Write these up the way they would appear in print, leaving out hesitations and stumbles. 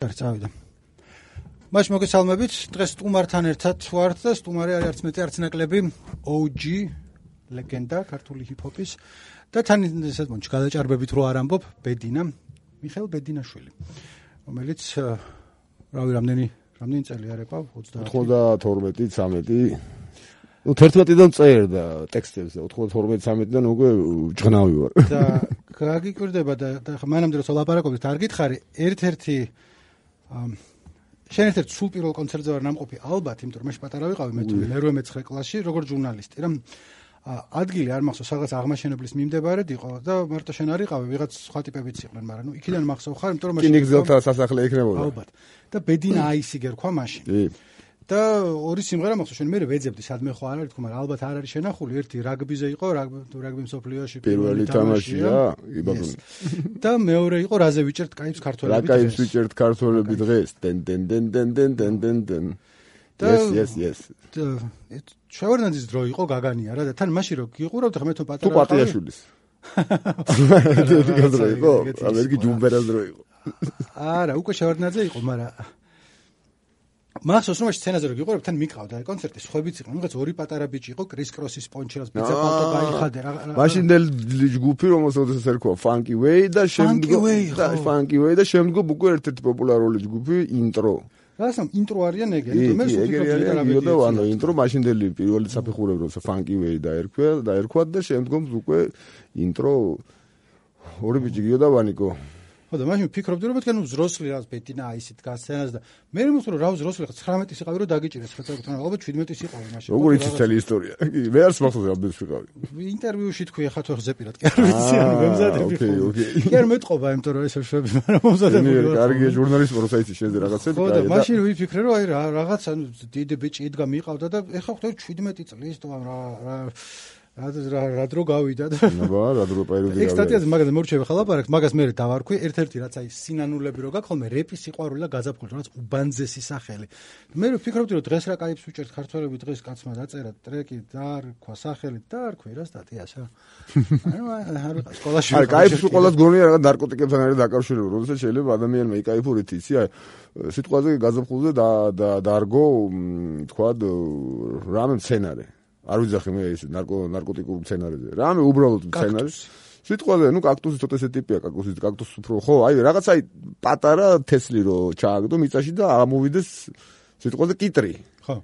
წავიდა. მაშინ მოგესალმებით. დღეს სტუმართან ერთად ვართ და სტუმარი არის არც მეტი არც ნაკლები OG ლეგენდა ქართული ჰიპ-ჰოპის და თან ესეთ მონჩ გადაჭარბებით რო არ ამბობ ბედინა მიხეილ ბედინაშვილი, რომელიც რამდენი წელი არ ეყავ 92-13 ну 11-დან წერდა ტექსტებს და 92-13-დან უკვე ჭღნავი ვარ. და გაგიკვირდება და მანამდე რომ ლაპარაკობთ არ გითხარი ერთ-ერთი შენ ერთ-ერთ სულ პირველ კონცერტზე ვარ ნამყოფი ალბათ, იმიტომ რომ მე პატარა ვიყავი მე 9 კლასში როგორც ჟურნალისტი რა ადგილი არ მახსოვს რაღაც აღმაშენებლის მიმდებარედ იყო და მარტო შენ არ იყავი ვიღაც სხვა ტიპებიც იყვნენ, მაგრამ ნუ იქიდან მახსოვ ხარ, იმიტომ რომ მაშინ კინიგზელთა სასახლე იქნებოდა. ალბათ. და ბედინა აისი გერქვა მაშინ. და ორი სიმღერა მახსოვს, შენ მე ვეძებდი სადმე ხო არ არის თქო, მაგრამ ალბათ არ არის შენახული, ერთი რაგბიზე იყო, რაგბი მსოფლიოში პირველი თამაშია, იბაბუნ. და მეორე იყო რაზე ვიჭერთ კაიფს ქართველები დღეს. რა კაიფს ვიჭერთ ქართველები დღეს? დენ. Yes. შევარდნაძის დრო იყო გაგანია რა და თან მაშინ რო გიყურავთ ხა მე თვითონ პატარა თუ პატიაშვილის. დრო იყო, ამერგი ჯუმბერას დრო იყო. არა, უკვე შევარდნაძე იყო, მაგრამ მახსოვს რომ სცენაზე რო გიყურებ თან მიყავდა კონცერტი, სხვებიც იყო, რაღაც ორი პატარა ბიჭი იყო, კრის კროსის პონჩერას პიცა პალტო გაიხადე რა. მაშინდელი ჯგუფი რომელსაც ერქვა Funky Way და შემდგომ უკვე ერთ-ერთი პოპულარული ჯგუფი Intro. რასამ ინტრო არიან ეგრე, მე ვფიქრობ და ანუ ინტრო მაშინდელი პირველი საფეხურები როცა Funky Way დაერქვა და შემდგომ უკვე ინტრო ორი ბიჭი გიო და ვანიკო. ხო და მაშინ ვფიქრობდი რომ მეთქე ნუ ზროსლი რაც ბედინა აისით გასცენას და მე მომწონს რომ რა ზროსლი ხა 19-ის იყავი რომ დაგიჭირეს ხა წაგთან ალბათ 17-ის იყავი მაშინ. როგორ იცი მთელი ისტორია? მე არც მახსოვს რამდენს ვიყავი. ინტერვიუში თქვი ხა თუ ზეპირად კი არ ვიცი ანუ მემზადები ხო. კი არ მეტყობა იმიტომ რომ ესე შვები მაგრამ მომზადებული ვარ. კარგია ჟურნალისტი როცა იცი შენზე რაღაცები და და მაშინ ვიფიქრე რომ აი რაღაც ანუ დიდი ბიჭი იდგა მიყავდა და ეხა ხვდები 17 წლის თუ რა დრო გავიდა და რა დრო პერიოდი გავიდა. ექსტატიაზე მაგაზე მორჩები ხა ლაპარაკს, მაგას მე დავარქვი, ერთ-ერთი რაც აი სინანულები რო გაქვს ხოლმე რეპის სიყვარული და გაზაფხული, რაც უბანძესი სახელი. მე ვფიქრობდი რომ დღეს რა კაიფს ვიჭერთ ქართველები დღეს კაცმა დაწერა ტრეკი დაარქვა სახელი დაარქვი რა სტატიაშა. ანუ სკოლაში არ კაიფს უყოლას გონია რაღაც ნარკოტიკებთან არის დაკავშირებული, როდესაც შეიძლება ადამიანმა იკაიფურით იცი აი სიტყვაზე გაზაფხულზე დაარგო თქვა რამე მცენარე. არ ვიძახი მე ეს ნარკოტიკულ მცენარეზე. რამე უბრალოდ მცენარე. სიტყვაზე, ნუ კაქტუსი ცოტა ესე ტიპია, კაქტუსი უფრო ხო, აი რაღაც აი პატარა თესლი რო ჩააგდო მიწაში და ამოვიდეს სიტყვაზე კიტრი. ხო.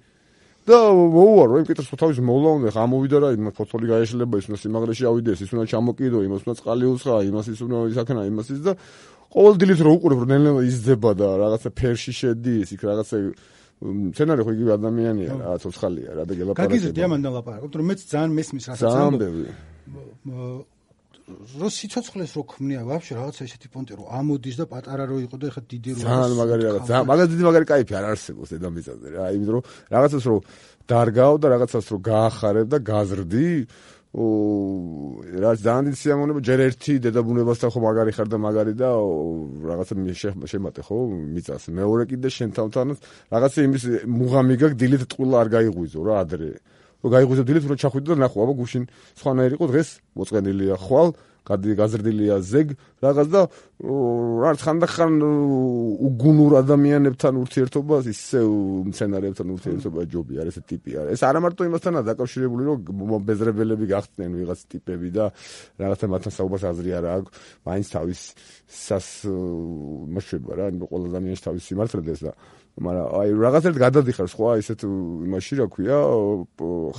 და მოუარო, იმ კიტრს თავის მოვლა უნდა, ხა ამოვიდა რა, იმას ფოთოლი გაეშლება, ის უნდა სიმაღლეში ავიდეს, ის უნდა ჩამოკიდო, იმას უნდა წყალი უცხა, იმას ის უნდა ისაქნა, იმას ის და ყოველ დილით რო უყურებ, რომ ნელ-ნელა იზრდება და რაღაცა ფერში შედის, იქ რაღაცა მცენარე ხო იგივე ადამიანია რა, ცოცხალია რა და გელაპარაკება. გაგიზრდი ამან ლაპარაკობ, რომ მეც ძალიან მესმის რასაც ამბობ. რო სიცოცხლეს რო ქმნია ვაფშე რაღაცა ესეთი პონტი რო ამოდის და პატარა რო იყო და ეხა დიდი რო ძალიან მაგარი რაღაც, მაგას დიდი მაგარი кайფი არ არსებობს დედამიწაზე რა, იმიტომ რომ რაღაცას რო დარგავ და რაღაცას რო გაახარებ და გაზრდი რა ძალიან დიდი სიამოვნება ჯერ ერთი დედაბუნებასთან ხო მაგარი ხარ და მაგარი და რაღაცა შემატე ხო მიწას მეორე კიდე შენ თავთანაც რაღაცა იმის მუღამი გაქვს დილით ტყუილა არ გაიღვიძო რა ადრე რომ გაიღვიძო დილით რომ ჩახვიდო და ნახო აბა გუშინ სხვანაირი იყო დღეს მოწყენილია ხვალ გაზრდილია ზეგ რაღაც და რაც ხანდახან უგუნურ ადამიანებთან ურთიერთობას ისე მცენარეებთან ურთიერთობა ჯობი არის ეს ტიპი არის ეს არა მარტო იმასთანაა დაკავშირებული რომ ბეზრებელები გახდნენ ვიღაც ტიპები და რაღაცა მათთან საუბარს აზრი არ აქვს მაინც თავის მოშვება რა ყველა ადამიანის თავის სიმართლედეს და მაგრამ აი რაღაცერთ გადადიხარ სხვა ისეთ იმაში რა ქვია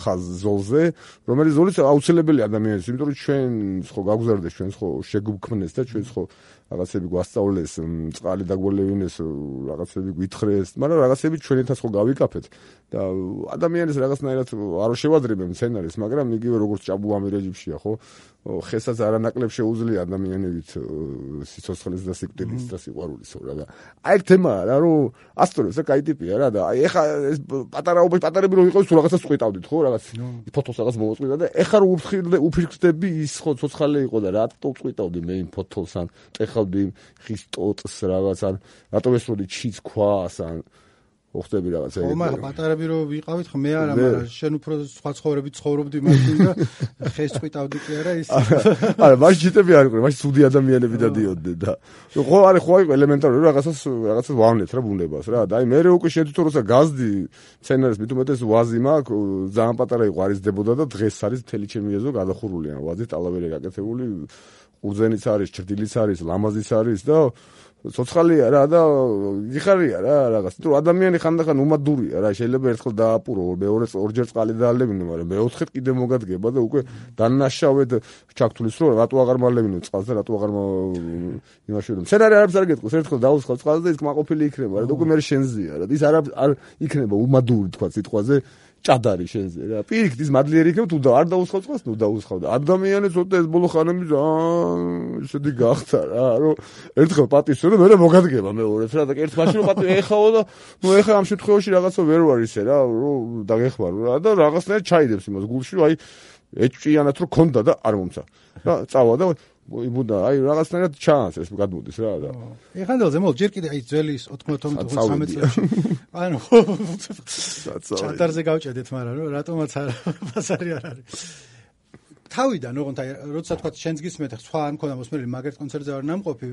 ხაზოლზე რომელიც ზოლიც აუცილებელი ადამიანის იმიტომ რომ ჩვენ ხო გავგზავნდეს ჩვენ ხო შეგვქმნეს და ჩვენ ხო რაღაცები გვასწავლეს წყალი დაგველევინეს რაღაცები გვითხრეს მაგრამ რაღაცები ჩვენითაც ხო გავიკაფეთ და ადამიანის რაღაცნაირად არ შევადრებენ სცენარის მაგრამ იგივე როგორც ჭაბუამი რეჟიმშია ხო ხესაც არანაკლებ შეუძლია ადამიანებით სიცოცხლის და სიკვდილის და სიყვარულის რა და აი თემა რა რომ ასწორებს რა კაი ტიპია რა და აი ეხა ეს პატარები რომ იყავს თუ რაღაცას წყვიტავდით ხო რაღაც ფოთოლს რაღაც მოვაწყვიტა და ეხა რომ უფირքდები ის ხო ცოცხალი იყო და რატო წყვიტავდი მე იმ ფოთოლს ან ტეხავდი ხის ტოტს რაღაც ან რატო ესროდი ჩიც ქვას ან ხდები რაღაცა ეგეთი. ხო, მაგრამ პატარები რო ვიყავით, მე არა, მაგრამ შენ უფრო სხვა ცხოვრებით ცხოვრობდი მაშინ და ხეს წვიტავდი კი არა ის. არა, მაშინ ჯიტები არ იყვნენ, მაშინ ცუდი ადამიანები დადიოდნენ და ხო არის ხო იყო ელემენტარული რაღაცას ვავნეთ რა ბუნებას რა. და აი მე უკვე შედითო როცა გაზდი სცენარის მით უმეტეს ვაზი მაქვს, ძალიან პატარა იყო არიზდებოდა და დღეს არის მთელი ჩემი ეზო გადახურული ან ვაზი ტალავერი გაკეთებული, ყურძენიც არის, ჭრდილიც არის, ლამაზიც არის და ცოცხალია რა და იხარია რა რაღაც. თუ ადამიანი ხანდახან უმადურია რა, შეიძლება ერთხელ დააპურო, ორჯერ წყალი დაალებინო, მაგრამ მეოთხედ კიდე მოგადგება და უკვე დანაშავედ ჩაქთulis რომ რატო აღარ მალებინო წყალს და რატო აღარ იმაში რომ სცენარი არაფერს არ გეტყვის, ერთხელ დაუსხავ წყალს და ის კმაყოფილი იქნება რა და უკვე მე შენზეა რა. ის არ იქნება უმადური თქვა სიტყვაზე ჭადარი შენზე რა. პირიქით ის მადლიერი იქნება თუ არ დაუსხავ წყალს, ნუ დაუსხავ და ადამიანი ცოტა ეს ბოლო ხანები ისეთი გახდა რა, რომ ერთხელ პატისო და მე მოგადგება მეორეც რა და ერთ მაშინ რომ პატი ეხაო და ნუ ეხა ამ შემთხვევაში რაღაცა ვერ ვარ ისე რა, რომ დაგეხმარო რა და რაღაცნაირად ჩაიდებს იმას გულში, აი ეჭვიანად რომ ქონდა და არ მომცა. რა წავა და იბუდა, აი რაღაცნაირად ჩანს ეს გადმოდის რა და. ეხანდელზე მო ჯერ კიდე აი ძველი 90-13 წელს. ანუ ჩატარზე გავჭედეთ, მაგრამ რომ რატომაც ბაზარი არ არის. თავიდან ოღონდ აი როცა თქვა შენს გისმენთ სხვა არ მქონდა მოსმენელი მაგერტ კონცერტზე არ ნამყოფი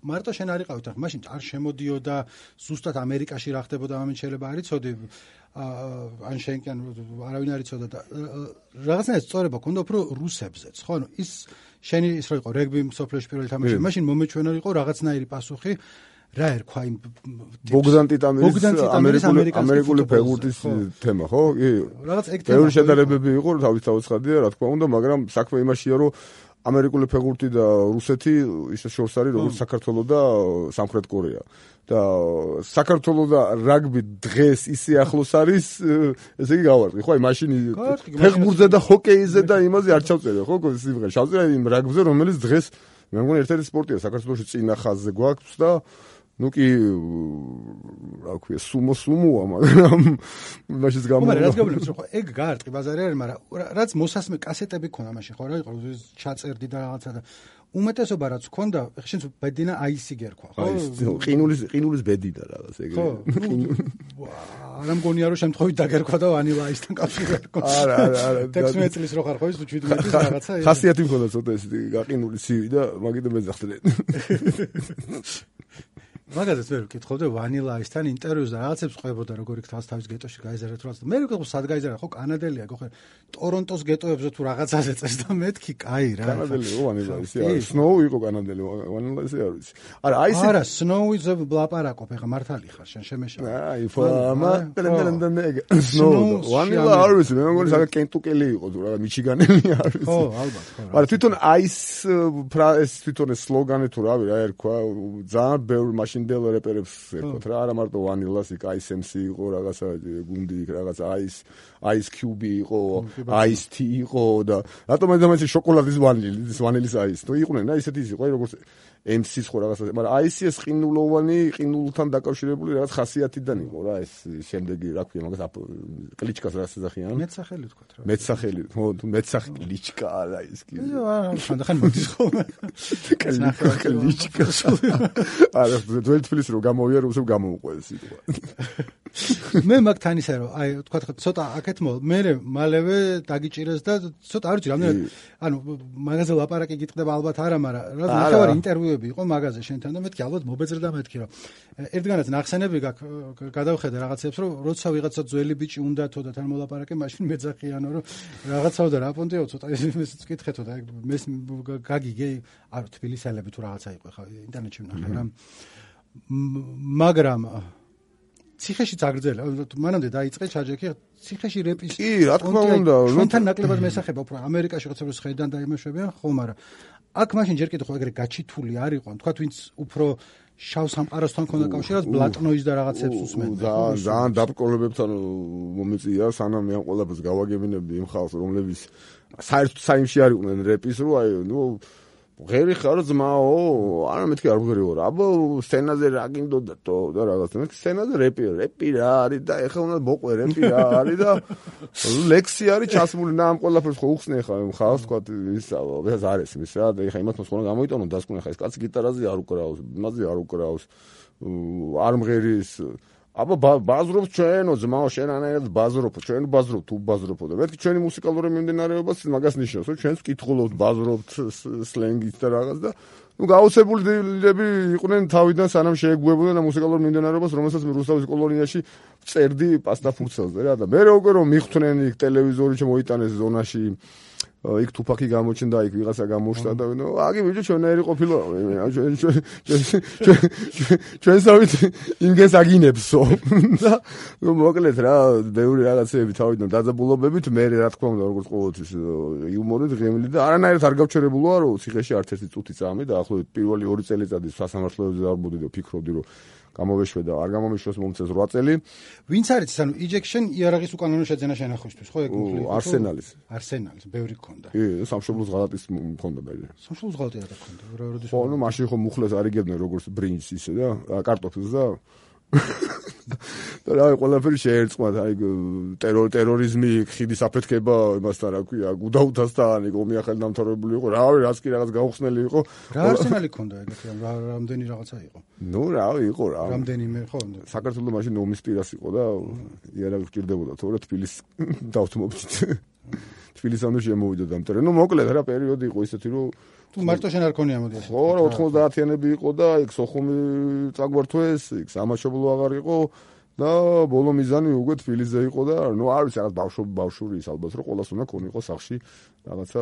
მარტო შენ არ იყავით ახლა მაშინ არ შემოდიოდა ზუსტად ამერიკაში რა ხდებოდა ამით შეიძლება არ იცოდი ან შენ კი არავინ არ იცოდა და რაღაცნაირად სწორება ქონდა უფრო რუსებზეც ხო ანუ ის შენი ის რო იყო რეგბი სოფლიოში პირველი თამაში მაშინ მომეჩვენა იყო რაღაცნაირი პასუხი რა ერქვა იმ ბოგდან ტიტამერის ამერიკული ფეგურტის თემა ხო? კი. რაღაც ეგ თემა. ბევრი შედარებები იყო, თავის ცხადია, რა თქმა უნდა, მაგრამ საქმე იმაშია, რომ ამერიკული ფეგურტი და რუსეთი ისე შორს არის, როგორც საქართველო და სამხრეთ კორეა. და საქართველო და რაგბი დღეს ისე ახლოს არის, ესე იგი გავარკვი, ხო, აი მაშინ ფეხბურთზე და ჰოკეიზე და იმაზე არ ჩავწერე, ხო, სიმღერა. ჩავწერე იმ რაგბზე, რომელიც დღეს მე მგონი ერთ-ერთი სპორტია საქართველოში წინა ხაზზე გვაქვს და ну კი რა ქვია სუმოა მაგრამ მაშინ გამო მაგრამ რაც გავლენს რომ ეგ გაარტყი ბაზარი არის მაგრამ რაც მოსასმე კასეტები ქონა მაშინ ხო რა იყო ჩაწერდი და რაღაცა და უმეტესობა რაც ქონდა შენც ბედინა აისი გერქვა ხო ყინულის ბედინა რაღაც ეგ არა მგონია რომ შემთხვევით დაგერქვა და ვანილა აისთან კავშირი არ ქონდა არა 16 წლის რო ხარ ხო ის 17 წლის რაღაცა ხასიათი მქონდა ცოტა ეს გაყინული ცივი და მაგით მეძახდნენ მაგაზეც ვერ ვკითხავდი ვანილა აისთან ინტერვიუს და რაღაცებს ყვებოდა როგორ იქ თავის გეტოში გაიზარდა თუ რაღაც მე ვიყავ სად გაიზარდა ხო კანადელია ხო ტორონტოს გეტოებზე თუ რაღაცაზე წეს და მეთქი კაი რა კანადელი ვანილა ისე არის სნოუ იყო კანადელი ვანილა ისე არის არა აი ეს არა სნოუზე ვლაპარაკობ ეხა მართალი ხარ შენ შემეშალა აი ფამა სნოუ ვანილა არის მე მგონი საგა კენტუკელი იყო თუ რა მიჩიგანელი არის ხო ალბათ ხო მაგრამ თვითონ აის ეს თვითონ ეს სლოგანი თუ რავი რა ერქვა ძალიან ბევრი მაშინ დელ რეპერებს ერქვა რა არა მარტო ვანილას იქ აისემსი იყო რაღაცა გუნდი იქ რაღაცა აის კიუბი იყო აის თი იყო და რატომ ამაზე შოკოლადის ვანილის აის თუ იყვნენ რა ისეთი იყო როგორც MC-ს ხო რაღაცა მაგრამ აისი ეს ყინულოვანი ყინულთან დაკავშირებული რაღაც ხასიათიდან იყო რა ეს შემდეგი რა ქვია მაგას კლიჩკას რა ეძახიან მეცახელი თქვა რა მეცახელი ხო თუ მეცახელი კლიჩკა არა ის კი არა ხანდახან მოდის ხო კლიჩკა არა ძველი თბილისი რომ გამოვია რომ გამოვყვეს სიტყვა მე მაგთან ისე რომ აი თქვა ცოტა აქეთ მე მალევე დაგიჭირეს და ცოტა არ ვიცი რამდენი ანუ მაგაზე ლაპარაკი გიტყდება ალბათ არა მაგრამ რა ნახევარი ინტერვიუები იყო მაგაზე შენთან და მეთქი ალბათ მობეძრდა მეთქი რომ ერთგანაც ნახსენები გაქვს გადავხედე რაღაცებს რომ როცა ვიღაცა ძველი ბიჭი უნდათო და თან მოლაპარაკე მაშინ მეძახიანო რომ რაღაცაო და რა პონტიო ცოტა ისიც ვკითხეთო და მე გაგიგე არ თბილისელები თუ რაღაცა იყო ხა ინტერნეტში ვნახე რა მაგრამ ციხეშიც აგრძელა მანამდე დაიწყე ჩაჯექი ციხეში რეპის კი რა თქმა უნდა ჩვენთან ნაკლებად მესახება უფრო ამერიკაში ხოცებს ხედან და იმეშვებიან ხო მაგრამ აქ მაშინ ჯერ კიდევ ხო ეგრე გაჩითული არ იყო თქვა ვინც უფრო შავ სამყაროსთან ქონდა კავშირად ბლატნოის და რაღაცებს უსმენდა ძალიან დაბკოლებებთან მომიწია სანამ მე ამ ყველაფერს გავაგებინებდი იმ ხალხს რომლებიც საერთოდ საიმში არ იყვნენ რეპის რო აი ნუ ღერი ხარ ძმაო არა მეთქი არ ვღერი ვარ აბა სცენაზე რა გინდოდა თო და რაღაცა მე სცენაზე რეპი რა არის და ეხლა უნდა მოყვე რეპი რა არის და ლექსი არის ჩასმული და ამ ყველაფერს ხო უხსნე ხა ხავს თქვა ისა ეს არის ის რა და ეხლა იმათ მოსყონა გამოიტანო დასკვნე ხა ეს კაცი გიტარაზე არ უკრავს იმაზე არ უკრავს არ მღერის აბა ბაზრობ ჩვენო ძმაო შენანაირად ბაზრობ ჩვენ ბაზრობ თუ ბაზრობო და მეთქი ჩვენი მუსიკალური მიმდინარეობაც მაგას ნიშნავს რომ ჩვენს ვკითხულობთ ბაზრობთ სლენგით და რაღაც და ნუ გაუცებულები იყვნენ თავიდან სანამ შეეგუებოდნენ ამ მუსიკალურ მიმდინარეობას რომელსაც მე რუსთავის კოლონიაში წერდი პასტაფურცელზე რა და მე უკვე რომ მიხვდნენ იქ ტელევიზორი შემოიტანეს ზონაში იქ თუფაკი გამოჩნდა იქ ვიღაცა გამოშთა და ნუ აგი ბიჭო ჩვენაირი ყოფილა ჩვენსავით იმგეს აგინებსო და ნუ მოკლედ რა ბევრი რაღაცეები თავიდან დაძაბულობებით მე რა თქმა უნდა როგორც ყოველთვის იუმორით ღემილი და არანაირად არ გავჩერებულოა რომ ციხეში არც ერთი წუთი წამი და ახლობით პირველი 2 წელიწადი სასამართლოებზე დავბუდი და ფიქრობდი რომ გამოვეშვე და არ გამომიშვეს მომწეს 8 წელი. ვინც არის ანუ Ejection იარაღის უკანონო შეძენა შენახვისთვის, ხო ეგ Arsenalis, ბევრი გქონდა. კი, სამშობლოს ღალატის მქონდა და სამშობლოს ღალატი რა გქონდა? როდის? ხო, ნუ მაშინ ხო მუხლეს არიგებდნენ როგორც ბრინჯს ისე და კარტოფილს და და რა ყველაფერი შეერწყმათ, აი ტერორიზმი, ხიდის აფეთქება, იმასთან რა ქვია, გუდაუთასთან, იქ ომი ახალი დამთავრებული იყო, რავი, რაც კი რაღაც გაუხსნელი იყო. რა Arsenal-ი ქონდა ეგეთი, რამდენი რაღაცა იყო? ნუ რავი, იყო რა. რამდენიმე ხო? საქართველოს მაშინ ომის პირას იყო და იარაღი გჭირდებოდა, თორე თბილისს დავთმობდით. თბილისამდე შემოვიდა დამტარე. ნუ მოკლედ რა პერიოდი იყო ისეთი, რომ თუ მარტო შენ არ ქონია მოდი. ხო, 90-იანები იყო და იქ სოხუმი წაგვართვეს, იქ სამაშობლო აღარ იყო და ბოლო მიზანი უკვე თბილისზე იყო და ნუ არ ვიცი რაღაც ბავშვური ის ალბათ რომ ყოველას უნდა ქონიყო სახში რაღაცა.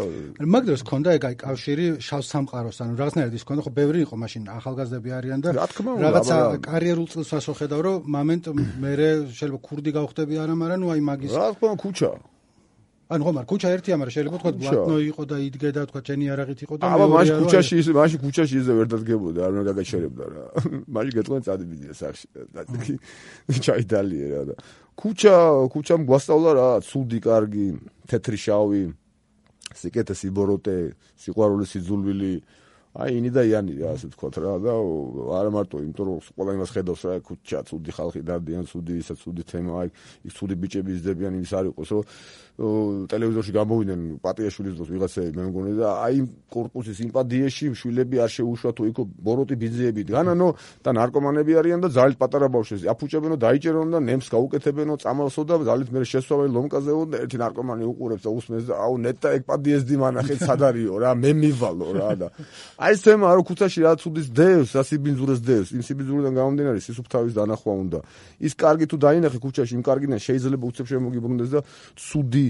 მაგდროს ქონდა ეგ აი კავშირი შავ სამყაროსთან, რაღაცნაირად ის ქონდა, ხო ბევრი იყო მაშინ ახალგაზრდები არიან და რაღაცა კარიერულ წელს ასოხედავ რომ მომენტ მე შეიძლება ქურდი გავხდები არა, მაგრამ ნუ აი მაგის რა თქმა უნდა ქუჩა ანუ ხომ არ ქუჩა ერთია, მაგრამ შეიძლება თქვა ბლატნო იყო და იდგე და თქვა ჩენი იარაღით იყო და აბა მაშინ ქუჩაში ისე ვერ დადგებოდა, არ უნდა გაგაჩერებდა რა. მაშინ გეტყვენ წადიდია სახში და ჩაიდალიე რა და ქუჩამ გვასწავლა რა, ცუდი, კარგი, თეთრი, შავი, სიკეთე, სიბოროტე, სიყვარული, სიძულვილი, აი ინი და იანი რა ასე ვთქვათ რა და არა მარტო იმიტომ რომ ყველა იმას ხედავს რა ქუჩა ცუდი ხალხი დადიან ცუდი ისა ცუდი თემა აი იქ ცუდი ბიჭები იზრდებიან იმის არ იყოს რომ ტელევიზორში გამოვიდნენ პატიაშვილის დროს ვიღაცები მე მგონი და აი კორპუსის იმპადიაში შვილები არ შეუშვა თუ იქ ბოროტი ბიძიები განანო და ნარკომანები არიან და ძალით პატარა ბავშვები აფუჭებენო დაიჭერონ და ნემს გაუკეთებენო წამალსო და ძალით მე შესვაველი ლომკაზეო და ერთი ნარკომანი უყურებს და უსმენს და აუ ნეტა ეგ პადიესდი მანახეთ სად არისო რა მე მივალო რა და აი ეს თემა რო ქუჩაში რა ცუდის დევს, ასიბინძურეს დევს, იმ სიბინძურიდან გამომდინარე სისუფთავის დანახვა უნდა. ის კარგი თუ დაინახე ქუჩაში, იმ კარგიდან შეიძლება უცებ შემოგიბრუნდეს და ცუდი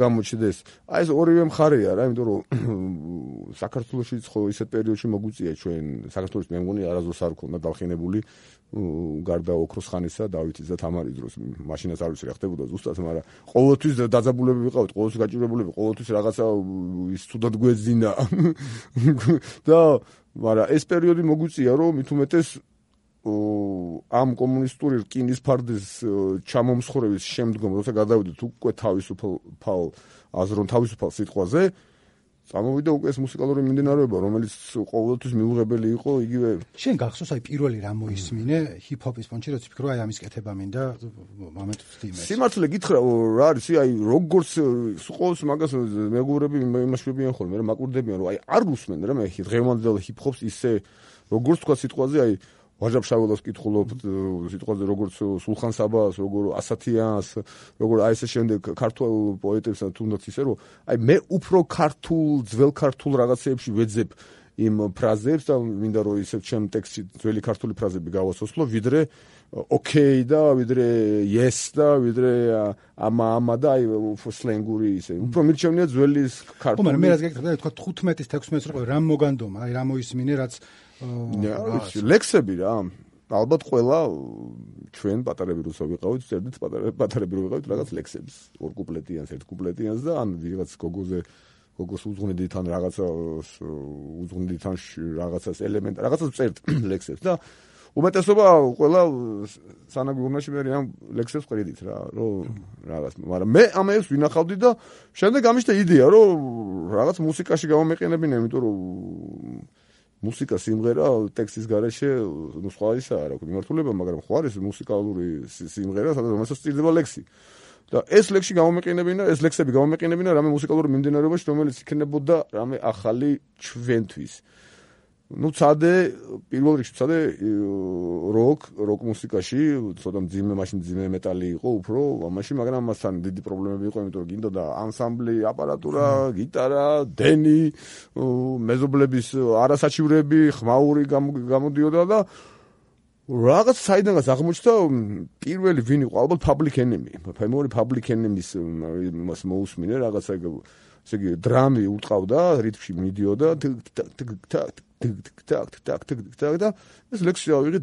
გამოჩნდეს. აი ეს ორივე მხარეა რა, იმიტომ რომ საქართველოშიც ხო ისეთ პერიოდში მოგვიწია ჩვენ საქართველოს მე მგონი არასდროს არ ქონდა დახინებული გარდა ოქროს ხანისა დავითის და თამარის დროს მაშინაც არ ვიცი რა ხდებოდა ზუსტად, მაგრამ ყოველთვის დაძაბულები ვიყავით, ყოველთვის გაჭირებულები, ყოველთვის რაღაცა ის თუდად გვეძინა. და მაგრამ ეს პერიოდი მოგვიწია რომ მით უმეტეს ამ კომუნისტური რკინის ფარდის ჩამომსხვრევის შემდგომ როცა გადავიდეთ უკვე თავისუფალ აზრონ თავისუფალ სიტყვაზე წამოვიდა უკვე ეს მუსიკალური მიმდინარეობა რომელიც ყოველთვის მიუღებელი იყო იგივე შენ გახსოვს აი პირველი რა მოისმინე ჰიპ-ჰოპის პონჩი როცა ფიქრობ აი ამის კეთება მინდა მომენტ ვთიმე სიმართლე გითხრა რა არის აი როგორც ყოველს მაგას მეგობრები იმაშვებიან ხოლმე რა მაკვირდებიან რომ აი არ უსმენ რა მე დღევანდელ ჰიპ-ჰოპს ისე როგორც თქვა სიტყვაზე აი ვაჟა ფშაველას კითხულობთ სიტყვაზე როგორც სულხან საბას, როგორ ასათიანს, როგორ აი ესე შემდეგ ქართულ პოეტებსა თუნდაც ისე რომ აი მე უფრო ქართულ, ძველ ქართულ რაღაცეებში ვეძებ იმ ფრაზებს და მინდა რომ ისე ჩემ ტექსტში ძველი ქართული ფრაზები გავასოსლო, ვიდრე ოკეი და ვიდრე yes და ვიდრე ამა და აი სლენგური ისე. უფრო მირჩევნია ძველი ქართული. მაგრამ მე რაც გეკითხა თქვა 15-ის 16-ის რო რამ მოგანდომა, აი რა მოისმინე რაც ლექსები რა ალბათ ყველა ჩვენ პატარები რუსო ვიყავით წერდით პატარები რო ვიყავით რაღაც ლექსებს ორ კუპლეტიანს ერთ კუპლეტიანს და ან ვიღაც გოგოს უძღვნიდით ან რაღაცა უძღვნიდით ან რაღაცას ელემენტ რაღაცას წერთ ლექსებს და უმეტესობა ყველა სანაგურნაში მე ამ ლექსებს ყრიდით რა რომ რაღაც მაგრამ მე ამას ვინახავდი და შემდეგ ამიშთა იდეა რომ რაღაც მუსიკაში გამომეყენებინა იმიტომ რომ მუსიკა სიმღერა ტექსტის გარეშე ნუ სხვა ისაა რა ვქო მიმართულება მაგრამ ხო არის მუსიკალური სიმღერა სადაც რომელსაც სწირდება ლექსი და ეს ლექსი გამომეყენებინა ეს ლექსები გამომეყენებინა რამე მუსიკალური მიმდინარეობაში რომელიც იქნებოდა რამე ახალი ჩვენთვის ну цаде პირველ რიგში цаде როკ მუსიკაში ცოტა მძიმე მეტალი იყო უფრო ამაში მაგრამ ამასთან დიდი პრობლემები იყო იმიტომ რომ გინდოდა ანსამბლი აპარატურა გიტარა დენი მეზობლების არასაჩივრები ხმაური გამოდიოდა და რაღაც საიდანაც აღმოჩნდა პირველი ვინ იყო ალბათ Public Enemy ფემორი Public Enemy-ის მას მოусმინე რაღაცა ესე იგი დრამი უტყავდა რითმში მიდიოდა და ეს ლექსი ავიღე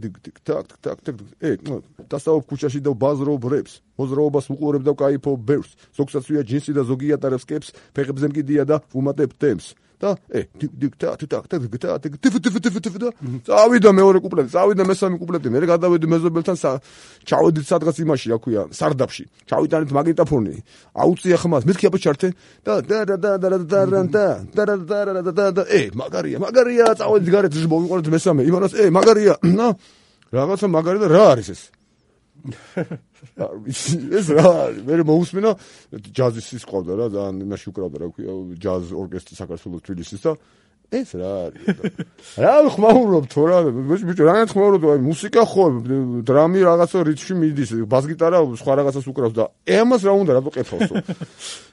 დასაუბრ ქუჩაში და ბაზრობ რეპს მოძრაობას უყურებ და ვკაიფობ ბევრს ზოგსაც ვია ჯინსი და ზოგი ატარებს კეპს ფეხებზე მკიდია და ვუმატებ თემს და წავიდა მეორე კუპლეტი წავიდა მესამე კუპლეტი მე გადავედი მეზობელთან ჩავედით სადღაც იმაში რა ქვია სარდაფში ჩავიტანეთ მაგნიტოფონი აუწია ხმას მეთქი აბა ჩართე და მაგარია წავედით გარეთ მოვიყვანეთ მესამე იმანას მაგარია რაღაცა მაგარი და რა არის ეს რა მე მოусმინა ჯაზის ის ყავდა რა ძალიან იმაში უკრავდა რა ქვია ჯაზ ორკესტრი საქართველოს თბილისის და ეს რა არის რა ხმაურობ თუ რა ბიჭო რა ხმაურობ აი მუსიკა ხო დრამი რაღაცა რითმში მიდის ბას-გიტარა სხვა რაღაცას უკრავს და ამას რა უნდა რატო ყეთავსო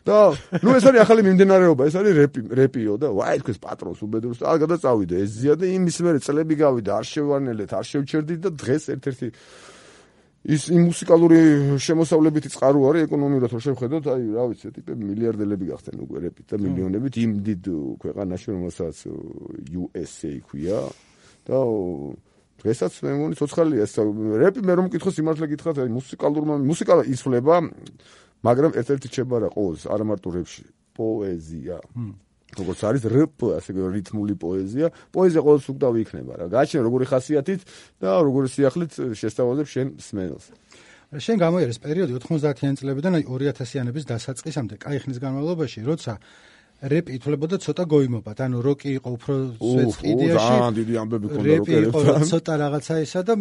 და ნუ ეს არის ახალი მიმდინარეობა ეს არის რეპიო და ვაი თქვენს პატრონს უბედურს და გადაწავიდე ეს ზია და იმის მერე წლები გავიდა არ შევანელეთ არ შევჩერდით და დღეს ერთ-ერთი ის მუსიკალური შემოსავლებითი წყარო არის ეკონომიურად რომ შევხედოთ აი რა ვიცი ტიპები მილიარდელები გახდნენ უკვე რეპით და მილიონებით იმ დიდ ქვეყანაში რომელსაც USA ქვია და დღესაც მე მგონი ცოცხალია ეს რეპი მე რომ მკითხო სიმართლე გითხრათ აი მუსიკა იცვლება მაგრამ ერთ-ერთი რჩება რა ყოველს არა მარტო რეპში პოეზია როგორც არის რეპ ასე რითმული პოეზია ყოველს უკდავი იქნება რა გააჩნია როგორი ხასიათით და როგორი სიახლით შესთავაზებ შენ სმენელს შენ გამოიერეს პერიოდი 90-იან წლებიდან აი 2000-იანების დასაწყისამდე კაი ხნის განმავლობაში როცა რეპი ითვლებოდა ცოტა გოიმობად ანუ როკი იყო უფრო სვეტყიდიაში ძალიან დიდი ამბები ქონდა რეპი იყო ცოტა რაღაცა ისა და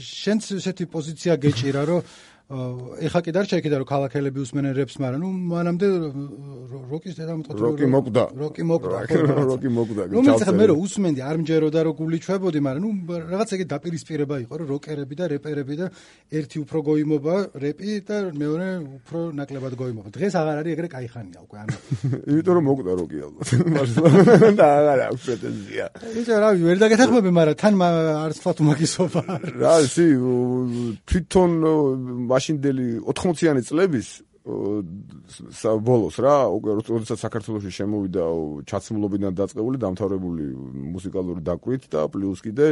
შენც ესეთი პოზიცია გეჭირა რომ ეხა კიდე არ შეეკიდა რომ ქალაქელები უსმენენ რეპს მაგრამ ნუ მანამდე როკის დედამოწყვეტი როკი მოკდა ნუ მე რომ უსმენდი არ მჯეროდა რომ გული ჩვებოდი მაგრამ ნუ რაღაც ეგ დაპირისპირება იყო რომ როკერები და რეპერები და ერთი უფრო გოიმობა რეპი და მეორე უფრო ნაკლებად გოიმობა დღეს აღარ არის ეგრე კაი ხანია უკვე ანუ იმიტომ რომ მოკდა როკი ალბათ და აღარ აქვს პრეტენზია იცი რა ვერ დაგეთახმები მაგრამ თან არც თქვა უმაგისობა რა ისი თვითონ მაშინდელი 80-იანი წლების ბოლოს რა უკვე როდესაც საქართველოში შემოვიდა ჩაცმულობიდან დაწყებული დამთავრებული მუსიკალური დაკვით და პლუს კიდე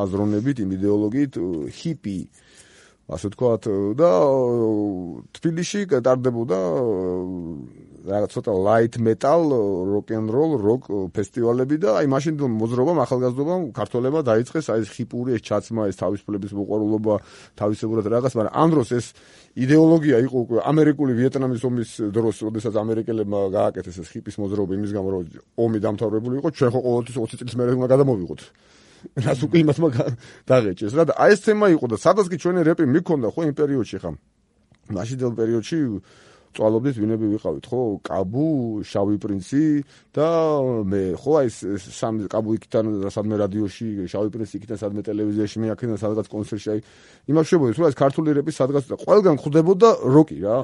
აზროვნებით იმ იდეოლოგიით ჰიპი ასე ვთქვათ და თბილისში ტარდებოდა რაღაც ცოტა light metal rock and roll rock ფესტივალები და აი მაშინ მოძრაობამ ახალგაზრდობამ ქართველებმა დაიწყეს აი ეს ჰიპური ეს ჩაცმა ეს თავისუფლების მოყვარულობა თავისებურად რაღაც მაგრამ ამ დროს ეს იდეოლოგია იყო უკვე ამერიკული ვიეტნამის ომის დროს როდესაც ამერიკელებმა გააკეთეს ეს ჰიპის მოძრაობა იმის გამო რომ ომი დამთავრებული იყო ჩვენ ხო ყოველთვის 20 წლის მერე უნდა გადამოვიღოთ რას უკვე იმას დაღეჭეს რა და აი ეს თემა იყო და სადაც კი ჩვენი რეპი მიქონდა ხო იმ პერიოდში ხა მაშინდელ პერიოდში წვალობდით ვინები ვიყავით ხო კაბუ შავი პრინცი და მე ხო აი სამი კაბუ იქიდან სადმე რადიოში შავი პრინცი იქიდან სადმე ტელევიზიაში მე აქედან სადღაც კონცერტში აი იმას შევედი რომ ეს ქართული რეპი სადღაც ყველგან ხვდებოდა როკი რა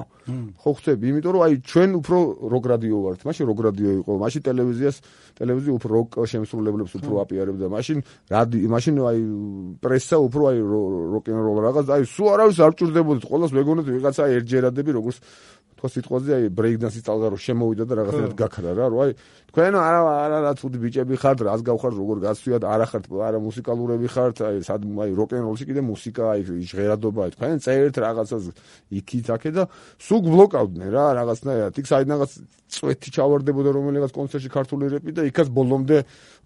ხო ხვდები იმიტომ რომ აი ჩვენ უფრო როკ რადიო ვართ მაშინ როკ რადიო იყო მაშინ ტელევიზია უფრო როკ შემსრულებლებს უფრო აპიარებდა მაშინ აი პრესა უფრო აი როკ ენ როლ რაღაც აი სულ არავის არ ჭირდებოდით ყოველს მეგონეთ ვიღაცა ერჯერადები როგორც თქო სიტყვაზე აი ბრეიქდანსის წალღა რო შემოვიდა და რაღაცნაირად გაქრა რა რო აი თქვენ არა ცუდი ბიჭები ხართ რას გავხართ როგორ გასვიათ არა ხართ არა მუსიკალურები ხართ აი აი როკ ენ როლში კიდე მუსიკა აი ჟღერადობა აი თქვენ წერთ რაღაცას იქით აქე და სულ ბლოკავდნენ რა რაღაცნაირად იქ საიდანაც წვეთი ჩავარდებოდა რომელიღაც კონცერტში ქართული რეპი და იქაც ბოლომდე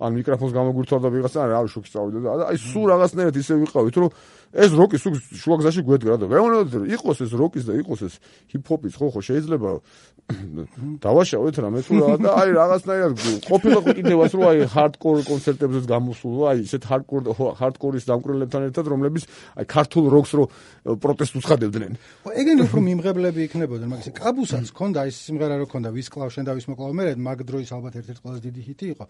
ან მიკროფონს გამოგვირთვარდა ვიღაცა რა შოქი წავიდა და აი სულ რაღაცნაირად ისე ვიყავით რომ ეს როკის შუაგზაში გვედგა და მეუბნებოდი იყოს ეს როკის და იყოს ეს ჰიპ-ჰოპის ხო შეიძლება დავაშავეთ რამე თუ რა და აი რაღაცნაირად ყოფილა კიდევაც რომ აი ჰარდკორ კონცერტებზეც გამოსულა აი ისეთ ჰარდკორის დამკვრელებთან ერთად რომლებიც აი ქართულ როკს რო პროტესტს უცხადებდნენ. ეგენი უფრო მიმღებლები იქნებოდნენ, მაგის კაბუსაც ჰქონდა ის სიმღერა რო ჰქონდა ვის კლავ შენ და ვის მოკლავ მე, მაგ დროის ალბათ ერთ-ერთი ყველაზე დიდი ჰიტი იყო.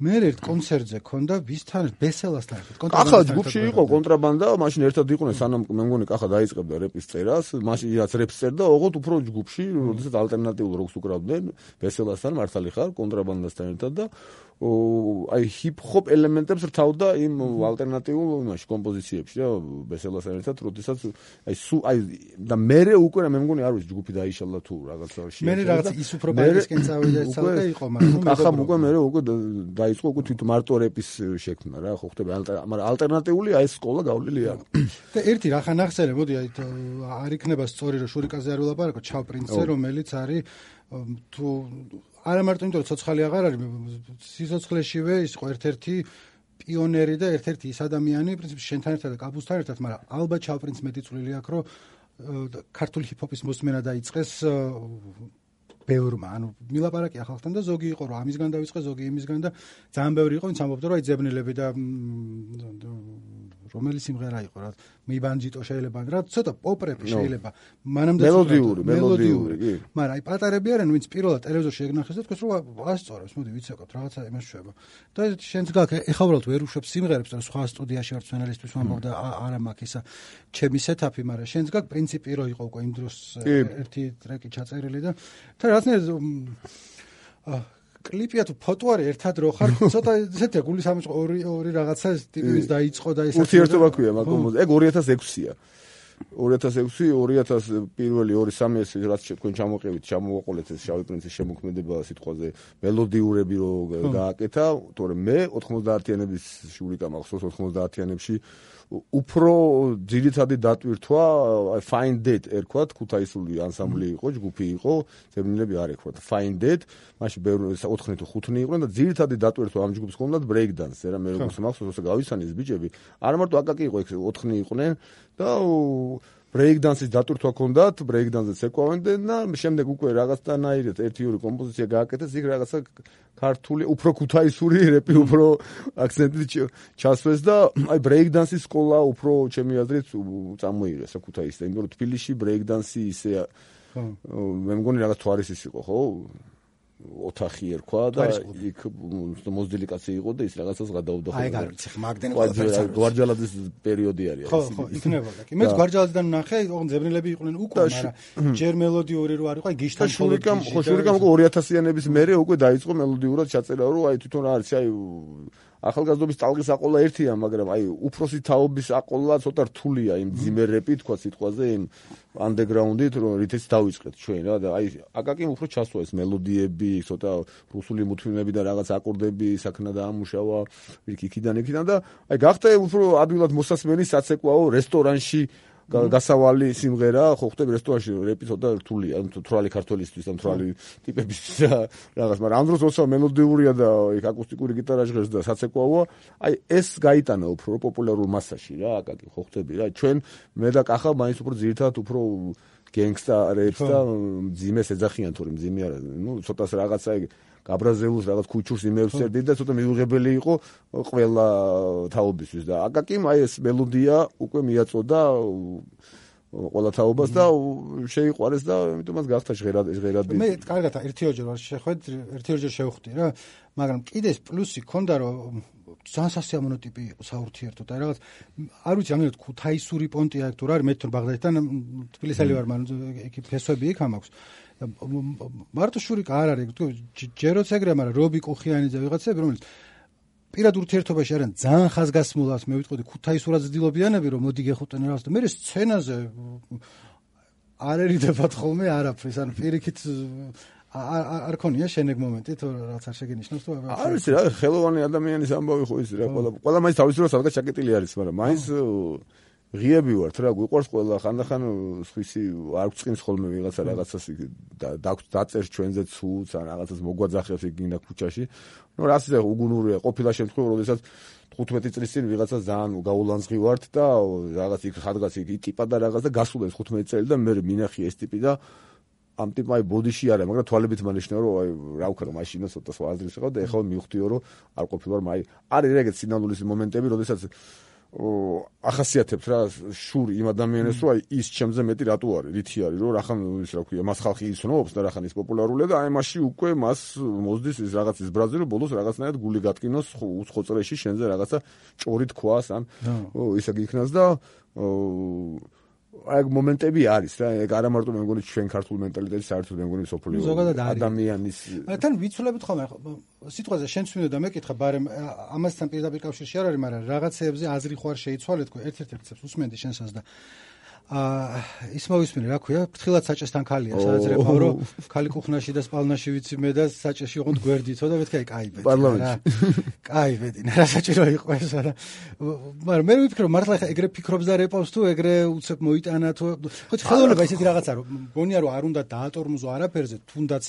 მე ერთ კონცერტზე ჰქონდა ვისთან ბესელასთან ერთად. კახა ჯგუფში იყო კონტრაბანდა, მაშინ ერთად იყვნენ სანამ მე მგონი კახა დაიწყებდა რეპის წერას, მაშინ რაც რეპს წერდა, ოღონდ უფრო ჯგუფში, როდესაც ალტერნატიულ როკს უკრავდნენ, ბესელასთან მართალი ხარ კონტრაბანდასთან ერთად და აი ჰიპ-ჰოპ ელემენტებს რთავდა იმ ალტერნატიულ იმაში კომპოზიციებში რა ბესელასთან ერთად, როდესაც აი და მერე უკვე მე მგონი არ ვიცი ჯგუფი დაიშალა თუ რაღაცაში. მე რაღაც ის უფრო ბაისკენ წავიდა ცალკე იყო, მაგრამ კახა უკვე მერე უკვე დაიწყო უკვე თვით მარტო რეპის შექმნა რა ხო ხდება, მაგრამ ალტერნატიული აი ეს სკოლა გავლილი არ. და ერთი რა ხან ახსენე, მოდი აი არ იქნება სწორი რომ შურიკაზე არ ვილაპარაკო, ჩავპრინცზე რომელიც არის თუ არა მარტო იმიტომ რომ ცოცხალი აღარ არის, სიცოცხლეშივე ის იყო ერთ-ერთი პიონერი და ერთ-ერთი ის ადამიანი, პრინციპში შენთან ერთად და კაბუსთან ერთად, მაგრამ ალბათ ჩავპრინც მეტი წვლილი აქვს, რომ ქართული ჰიპ-ჰოპის მოსმენა დაიწყეს ბევრმა, ანუ მილაპარაკი ახალთან და ზოგი იყო რომ ამისგან დავიწყე, ზოგი იმისგან და ძალიან ბევრი იყო, ვინც ამბობდა რომ აი ძებნილები და რომელი სიმღერა იყო რა მიბანჯიტო შეიძლება რა ცოტა პოპ-რეპი შეიძლება მანამდე მელოდიური კი მაგრამ აი პატარები არიან ვინც პირველად ტელევიზორში ეგნახეს და თქვენ რომ ასწორებს მოდი ვიცეკოთ რაღაცა იმას შვება და შენც გაქვს ეხლა უბრალოდ ვერ უშვებ სიმღერებს და სხვა სტუდიაში ვარ სცენარისტვის ვამბობ და არა მაქვს ისა ჩემი სეტაპი მაგრამ შენც გაქვს პრინციპი რო იყო უკვე იმ დროს ერთი ტრეკი ჩაწერილი და რაღაცნაირად კლიპია თუ ფოტო არის ერთად რო ხარ ცოტა ესეთი გულის ამის ორი რაღაცა ტიპის დაიწყო და ეს ურთიერთობა ქვია მაგ ეგ 2006-ია 2006 პირველი 2-3 ეს რაც თქვენ ჩამოყევით ჩამოვაყოლეთ ეს შავი პრინცის შემოქმედება სიტყვაზე მელოდიურები რო გააკეთა თორემ მე 90-იანების შურიკა მახსოვს 90-იანებში უფრო ძირითადი დატვირთვა Find It ერქვათ ქუთაისული ანსამბლი იყო ჯგუფი იყო ძებნილები არ ერქვათ Find It მაშინ ბევრი 4 თუ 5 იყვნენ და ძირითადი დატვირთვა ამ ჯგუფს ჰქონდათ break dance რა მე როგორც მახსოვს გავისანი ეს ბიჭები არა მარტო აკაკი იყო 4 იყვნენ და break dance-ის დატვირთვა ჰქონდათ break dance-ს ეკავდნენ და შემდეგ უკვე რაღაცნაირად ერთი-ორი კომპოზიცია გააკეთეს იქ რაღაცა ქართული უფრო ქუთაისური რეპი უფრო აქცენტით ჩასვეს და აი break dance-ის სკოლა უფრო ჩემი აზრით წამოიღეს ქუთაისს და იმიტომ რომ თბილისში break dance-ი ისე მე მგონი რაღაც თვარისის იყო ხო ოთახი ერქვა და იქ მოზდილი კაცი იყო და ის რაღაცას გადაუდა ხო. აი გარიცი მაგდენ ყველაფერს. გვარჯალაძის პერიოდი არის. ხო, იქნებოდა კი. მეც გვარჯალაძიდან ნახე, ოღონდ ძებნილები იყვნენ უკვე, მაგრამ ჯერ მელოდიური რო არ იყო, აი გიშთან შურიკამ 2000-იანების მერე უკვე დაიწყო მელოდიურად ჩაწერა, რომ აი თვითონ რა არის, აი ახალგაზრდობის ტალღის აყოლა ერთია, მაგრამ აი უფროსი თაობის აყოლა ცოტა რთულია იმ ძიმერები თქვა სიტყვაზე იმ underground-ით რომ რითიც დავიწყეთ ჩვენ რა და აი აკაკიმ უფრო ჩასვა ეს მელოდიები, ცოტა რუსული მუთვინები და რაღაც აკორდები საქნა დაამუშავა იქიდან და აი გახდა უფრო ადვილად მოსასმენი საცეკვაო რესტორანში გასავალი სიმღერა ხო ხდება რესტორანში რეპი ცოტა რთულია თვრალი ქართველისთვის ან თვრალი ტიპების რაღაც მაგრამ ამ დროს როცა მელოდიურია და იქ აკუსტიკური გიტარა ჟღერს და საცეკვაოა აი ეს გაიტანა უფრო პოპულარულ მასაში რა აკაკი ხო ხდები რა ჩვენ მე და კახა მაინც უფრო ძირითადად უფრო გენგსტა რეპს და მძიმეს ეძახიან თორემ მძიმე არა ნუ ცოტას რაღაცა გაბრაზეულს რაღაც ქუჩურს იმებს წერდი და ცოტა მიუღებელი იყო ყველა თაობისთვის და აკაკიმ აი ეს მელოდია უკვე მიაწოდა ყველა თაობას და შეიყვარეს და ამიტომაც გახდა ჟღერადი მე კარგად ერთიორჯერ ვარ შეხვედ ერთიორჯერ შევხვდი რა მაგრამ კიდეს პლუსი ქონდა რომ ძალიან სასიამოვნო ტიპი იყო საურთიერთოდ აი რაღაც არ ვიცი ამერად ქუთაისური პონტია თუ რა არის მე თვითონ ბაღდადიდან თბილისელი ვარ მაგრამ იქ ფესვები იქ ამაქვს მარტო შურიკა არ არის ჯერ როცა ეგრეა მაგრამ რობი კუხიანიძე ვიღაცები რომელიც პირად ურთიერთობაში არიან ძალიან ხაზგასმულას მე ვიტყოდი ქუთაისურად ძდილობიანები რომ მოდი გეხუტენ რაღაც და მე სცენაზე არ ერიდებათ ხოლმე არაფრის ანუ პირიქით არ ქონია შენეგ მომენტი თუ რაღაც არ შეგენიშნოს თუ არის რა ხელოვანი ადამიანის ამბავი ხო ის რა ყველა მაინც თავისუფლად სადღაც ჩაკეტილი არის მაგრამ მაინც ღიები ვართ რა გვიყვარს ყველა ხანდახან სხვისი არ გვწყინს ხოლმე ვიღაცა რაღაცას დაწერს ჩვენზე ცუც ან რაღაცას მოგვაძახებს იქ გინდა ქუჩაში ნუ რას ისე უგუნურია ყოფილა შემთხვევა როდესაც 15 წლის წინ ვიღაცა ძალიან გაულანძღი ვართ და რაღაც იქ ხადღაც იქ ტიპა და რაღაც და გასულა 15 წელი და მე მინახი ეს ტიპი და ამ ტიპმა ბოდიში არა, მაგრამ თვალებით მანიშნა რომ რა ვქნა მაშინა ცოტა სხვა აზრის ვიყავ და ეხლა მივხვდიო რომ არ ყოფილვარ არის ეგეთ სინამდვილის მომენტები, როდესაც ახასიათებს რა შური იმ ადამიანებს რომ ის ჩემზე მეტი რატო არის, რითი არის, რომ რახან ის რა ქვია, მას ხალხი იცნობს და რახან ის პოპულარულია და აი მაშინ უკვე მას მოსდის ის რაღაც ის ბრაზი რომ ბოლოს რაღაცნაირად გული გატკინოს უცხო წრეში შენზე რაღაცა ჭორი თქვას ან ისა გიქნას და აი მომენტები არის რა, ეგ არა მარტო მე მგონი ჩვენ ქართულ მენტალიტეტის საერთოდ მე მგონი სოფლიო ადამიანის თან ვიცვლებით ხოლმე სიტყვაზე შენც მინდა მეკითხა, ბარემ ამასთან პირდაპირ კავშირში არ არის, მაგრამ რაღაცეებზე აზრი ხო არ შეიცვალეთ, ერთ-ერთ რცებს უსმენდი შენსაც და ის მოვისმინე, რა ქვია, ფრთხილად საჭესთან ქალია, სადაც რეპავ რომ ქალი კუხნაში და სპალნაში ვიცი მე და საჭეში ოღონდ გვერდითო და მეთქი აი კაი ბედი. კაი ბედი, რა საჭირო იყო ეს არა. მაგრამ მე ვიფიქრე, მართლა ეგრე ფიქრობს და რეპავს თუ ეგრე უცებ მოიტანა თუ ხო ხელოვნება ისეთი რაღაცა რომ მგონია რომ არ უნდა დაატორმოზო არაფერზე, თუნდაც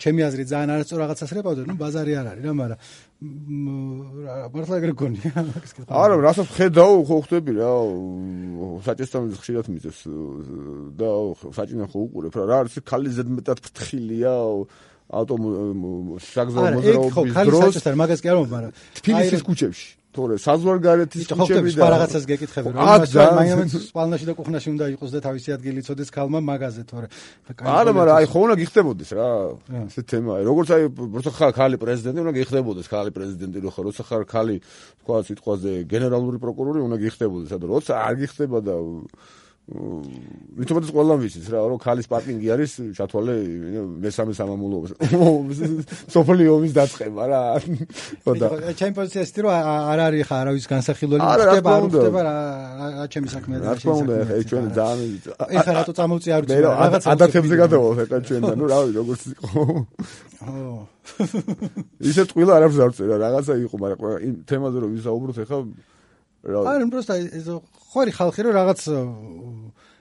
ჩემი აზრით ძალიან არასწორ რაღაცას რეპავდა, ნუ ბაზარი არ არის რა, მაგრამ მართლა ეგრე გონია. არა, რასაც ხედავ, ხო ხვდები რა, საჭესთან ხშირად მიწევს და საჭინა ხო უყურებ რა, არის ქალი ზედმეტად ფრთხილია საგზაო მოძრაობის დროს. საჭესთან მაგას კი არ მომბ, მაგრამ თბილისის ქუჩებში თორე საზღვარგარეთის ქუჩები და რაღაცას გეკითხები რომ მაინც სპალნაში და კუხნაში უნდა იყოს და თავისი ადგილი იცოდეს ქალმა მაგაზე თორე არა მაგრამ აი ხო უნდა გიხდებოდეს რა ეს თემა როგორც აი როცა ხარ ქალი პრეზიდენტი უნდა გიხდებოდეს ქალი პრეზიდენტი როცა ხარ ქალი თქვა სიტყვაზე გენერალური პროკურორი უნდა გიხდებოდეს და როცა არ გიხდება და მithomades ყველამ ვიცით რა რომ ქალის პარკინგი არის ჩათვალე მესამე სამამულოებს სოფლიო ომის დაწყება რა ხოდა ჩემი პოზიცია ისეთი რომ არ არის ხა არავის განსახილველი ხდება არ ხდება რა ჩემი საქმეა რა თქმა უნდა ეხა ჩვენ ძალიან ეხა რატო წამოვწი არ ვიცი რაღაცა ადათებზე გადავალ ეხა ჩვენ და ნუ რა ვიცი როგორც იყო ისე ტყილა არ აქვს არ წერა რაღაცა იყო მაგრამ იმ თემაზე რომ ვისაუბროთ ეხა არა просто ხორი ხალხი რომ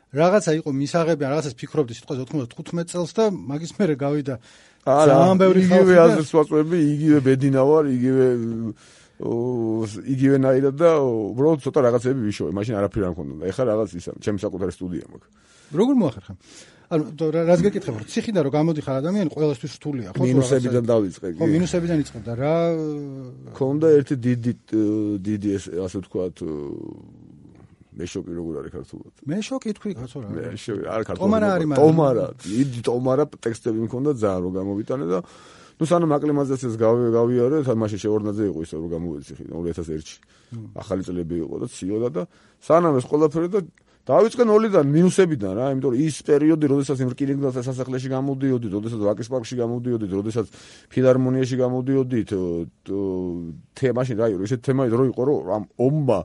რაღაცა იყო მისაღები ან რაღაცას ფიქრობდი სიტყვაზე 95 წელს და მაგის მერე გავიდა ძალიან ბევრი ხალხი იგივე აზრს ვაწვევები იგივე ბედინა ვარ იგივენაირად და უბრალოდ ცოტა რაღაცები ვიშოვე მაშინ არაფერი არ მქონდა და ეხლა რაღაც ისა ჩემი საკუთარი სტუდია მაქვს როგორ მოახერხა ანუ რაც გეკითხებ რომ ციხიდან რომ გამოდიხარ ადამიანი ყველასთვის რთულია ხო მინუსებიდან დავიწყე ხო მინუსებიდან იწყებდა რა ქონდა ერთი დიდი ასე ვთქვათ მე შოკი როგორ არის ქართულად მე შოკი თქვი კაცო რა მე შოკი არ ქართულად ტომარა დიდი ტომარა ტექსტები მქონდა ძალიან რომ გამოვიტანე და ნუ სანამ აკლიმატიზაციას გავიარე მაშინ შეორნაძე იყო ისე რომ გამოვეცი 2001-ში ახალი წლები იყო და ციოდა და სანამ ეს ყველაფერი და დავიწყე ნოლიდან მინუსებიდან რა იმიტომ რომ ის პერიოდი როდესაც იმ რკინიგზელთა სასახლეში გამოდიოდით როდესაც ვაკის პარკში გამოდიოდით როდესაც ფილარმონიაში გამოდიოდით მაშინ რა იყო ესეთ თემა რო იყო რომ ამ ომმა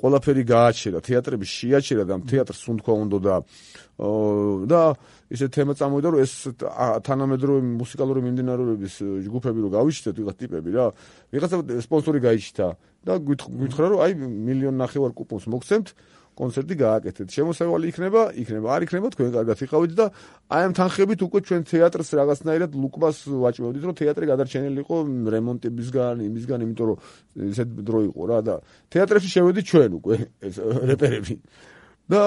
ყველაფერი გააჩერა თეატრები შეაჩერა და თეატრს უნდა უნდა და ესეთ თემა წამოვიდა რომ ეს თანამედროვე მუსიკალური მიმდინარეობების ჯგუფები რო გავიშთეთ ვიღაც ტიპები რა ვიღაცა სპონსორი გაიჩნდა და გითხრა რომ აი 1.5 მილიონი კუპონს მოგცემთ კონცერტი გააკეთეთ. შემოსავალი იქნება, არ იქნება, თქვენ კარგად იყავით და აი ამ თანხებით უკვე ჩვენ თეატრს რაღაცნაირად ლუკმას ვაჭმევდით, რომ თეატრი გადარჩენილი იყო რემონტებისგან, იმისგან, იმიტომ რომ ესეთ დრო იყო რა და თეატრებში შევედით ჩვენ უკვე ეს რეპერები. და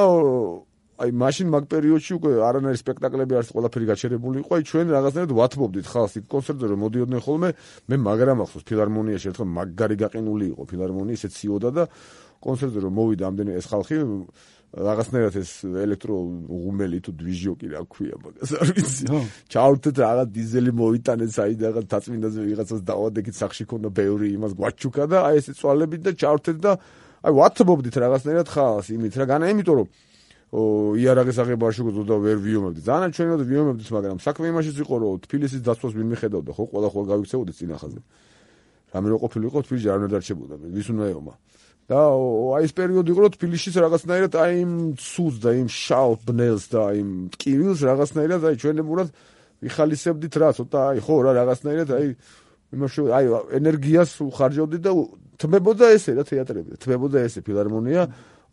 აი მაშინ მაგ პერიოდში უკვე არანაირი სპექტაკლები არც ყველაფერი გაჩერებული იყო, აი ჩვენ რაღაცნაირად ვათმობდით ხალხს იქ კონცერტზე რომ მოდიოდნენ ხოლმე, მე მაგრამ ახსოვს ფილარმონიაში ერთხელ მაგარი გაყინული იყო ფილარმონია, ისე ციოდა და კონცერტზე რომ მოვიდა ამდენი ეს ხალხი რაღაცნაირად ეს ელექტრო ღუმელი თუ დვიჟიოკი რა ქვია მაგას არ ვიცი ჩავრთეთ რაღაც დიზელი მოიტანეთ საიდანაც დაწმინდაზე ვიღაცას დავადეკით სახში ქონდა ბევრი იმას გვაჩუქა და აი ესე წვალებით და ჩავრთეთ და აი ვათმობდით რაღაცნაირად ხალხს იმით რა განა იმიტომ რომ იარაღის აღება შეგძლო და ვერ ვიომებდი ძალიან ჩვენად ვიომებდით მაგრამ საქმე იმაშიც იყო რომ თბილისის დაცვას ვინ მიხედავდა ხო ყველა გავიქცეოდით წინახაზე რამე რო ყოფილიყო თბილისში არ უნდა დარჩებოდა ვის უნდა ეომა და აი ეს პერიოდი იყო რომ თბილისშიც რაღაცნაირად აი იმ ცუდს და იმ შავ ბნელს და იმ ტკივილს რაღაცნაირად აი ჩვენებურად ვიხალისებდით რა ცოტა აი ხო რა რაღაცნაირად აი იმაში აი ენერგიას უხარჯავდით და თმებოდა ესე რა თეატრები თმებოდა ესე ფილარმონია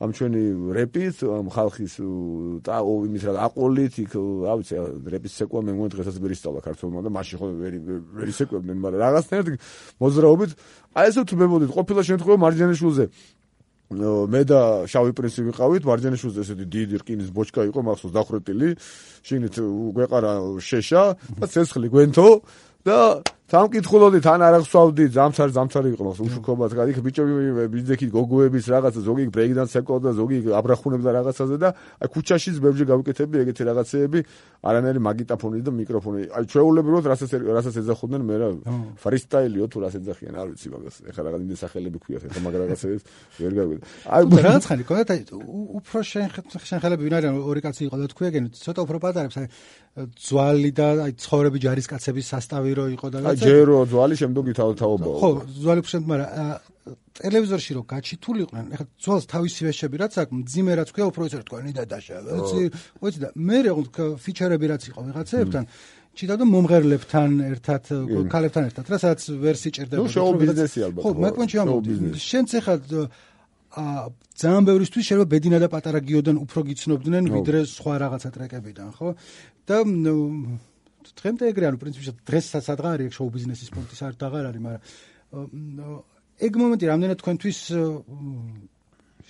ამ ჩვენი რეპით, ამ ხალხის იმის რა აყოლით, იქ რა ვიცი, რეპის ცეკვა მე მგონი დღესაც ვერ ისწავლა ქართულმა და მაშინ ხო ვერ ისეკვებდნენ, მაგრამ რაღაცნაირად მოძრაობით აი ესე თუ მემოდით, ყოფილა შემთხვევა მარჯანიშვილზე მე და შავი პრინცი ვიყავით, მარჯანიშვილზე ესეთი დიდი რკინის ბოჩკა იყო, მახსოვს დახრეტილი, შიგნით გვეყარა შეშა და ცეცხლი გვენთო და სამკითხულობდით ან არ აღსვავდი ძამცარი იყო მაგრამ უშუქობად იქ ბიჭები ბიძექი გოგოების რაღაცა ზოგი ბრეიკდანს ეკავდა ზოგი აბრახუნებდა რაღაცაზე და აი ქუჩაშიც ბევრჯერ გავიკეთებდი ეგეთი რაღაცეები არანაირი მაგიტაფონი და მიკროფონი აი ჩვეულებრივად რასაც ეძახოდნენ მე რა ფრისტაილიო თუ რას ეძახიან არ ვიცი მაგას ეხლა რაღაც იმის სახელები ქვიათ ეხლა მაგ რაღაცებს ვერ გავიგე აი რაღაც ხანი კონდა უფრო შენხელები ვინ არიან ორი კაცი იყო და თქვენ ცოტა უფრო პატარებს აი ძვალი და აი ცხოვრები ჯარისკაცების სასტავი რო იყო და ჯერო ძვალი შემდეგი თავთაობაა ხო ძვალი შემდგ მაგრამ ტელევიზორში რო გაჩითულიყვნენ ეხლა ძვალს თავისი ვეშები რაც აქვს მძიმე რაც ქვია უფრო ისე თქვენი დადაშა ვიცი და მე ფიჩერები რაც იყო ვიღაცებთან ჩიტა და მომღერლებთან ერთად ქალებთან ერთად რასაც ვერ სიჭირდება ნუ შოუ ბიზნესი ალბათ ხო მე კონჩი ამბობდი შენც ეხლა ძალიან ბევრისთვის შეიძლება ბედინა და პატარა გიოდან უფრო გიცნობდნენ ვიდრე სხვა რაღაცა ტრეკებიდან ხო და დღემდე ეგრე ანუ პრინციპში დღესაც ადღა არის შოუ ბიზნესის პუნქტის არ დაღარ არის მაგრამ ეგ მომენტი რამდენად თქვენთვის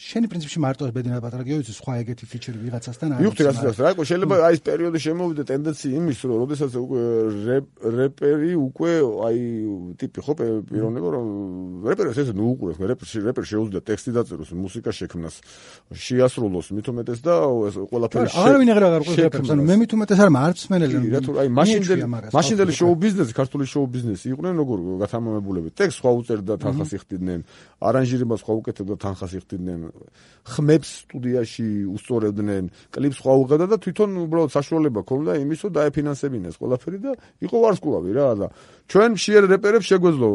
შენი პრინციპში მარტო ბედინა და პატარა გიოდის სხვა ეგეთი ფიჩერი ვიღაცასთან არის მივხვდი რასაც რა იყო შეიძლება აი ეს პერიოდი შემოვიდა ტენდენცია იმის რომ როდესაც უკვე რეპერი უკვე აი ტიპი ხო პიროვნება რომ რეპერს ესე ნუ უყურებს რეპერ შეუძლია ტექსტი დაწეროს მუსიკა შექმნას შეასრულოს მით უმეტეს და ეს ყველაფერი არავინ აღარ ყურებს რეპერს ანუ მე მით უმეტეს არ მარც მენელი რა თუ აი მაშინდელი შოუ ბიზნესი ქართული შოუ ბიზნესი იყვნენ როგორ გათამამებულები ტექსტ სხვა უწერდა თანხას იხდიდნენ არანჟირებას სხვა უკეთებდა თანხას იხდიდნენ ხმებს სტუდიაში უსწორებდნენ, კლიპს სხვა უღებდა და თვითონ უბრალოდ საშუალება ქონდა იმის, რომ დაეფინანსებინეს ყველაფერი და იყო ვარსკვლავი რა და ჩვენ მშიერ რეპერებს შეგვეძლო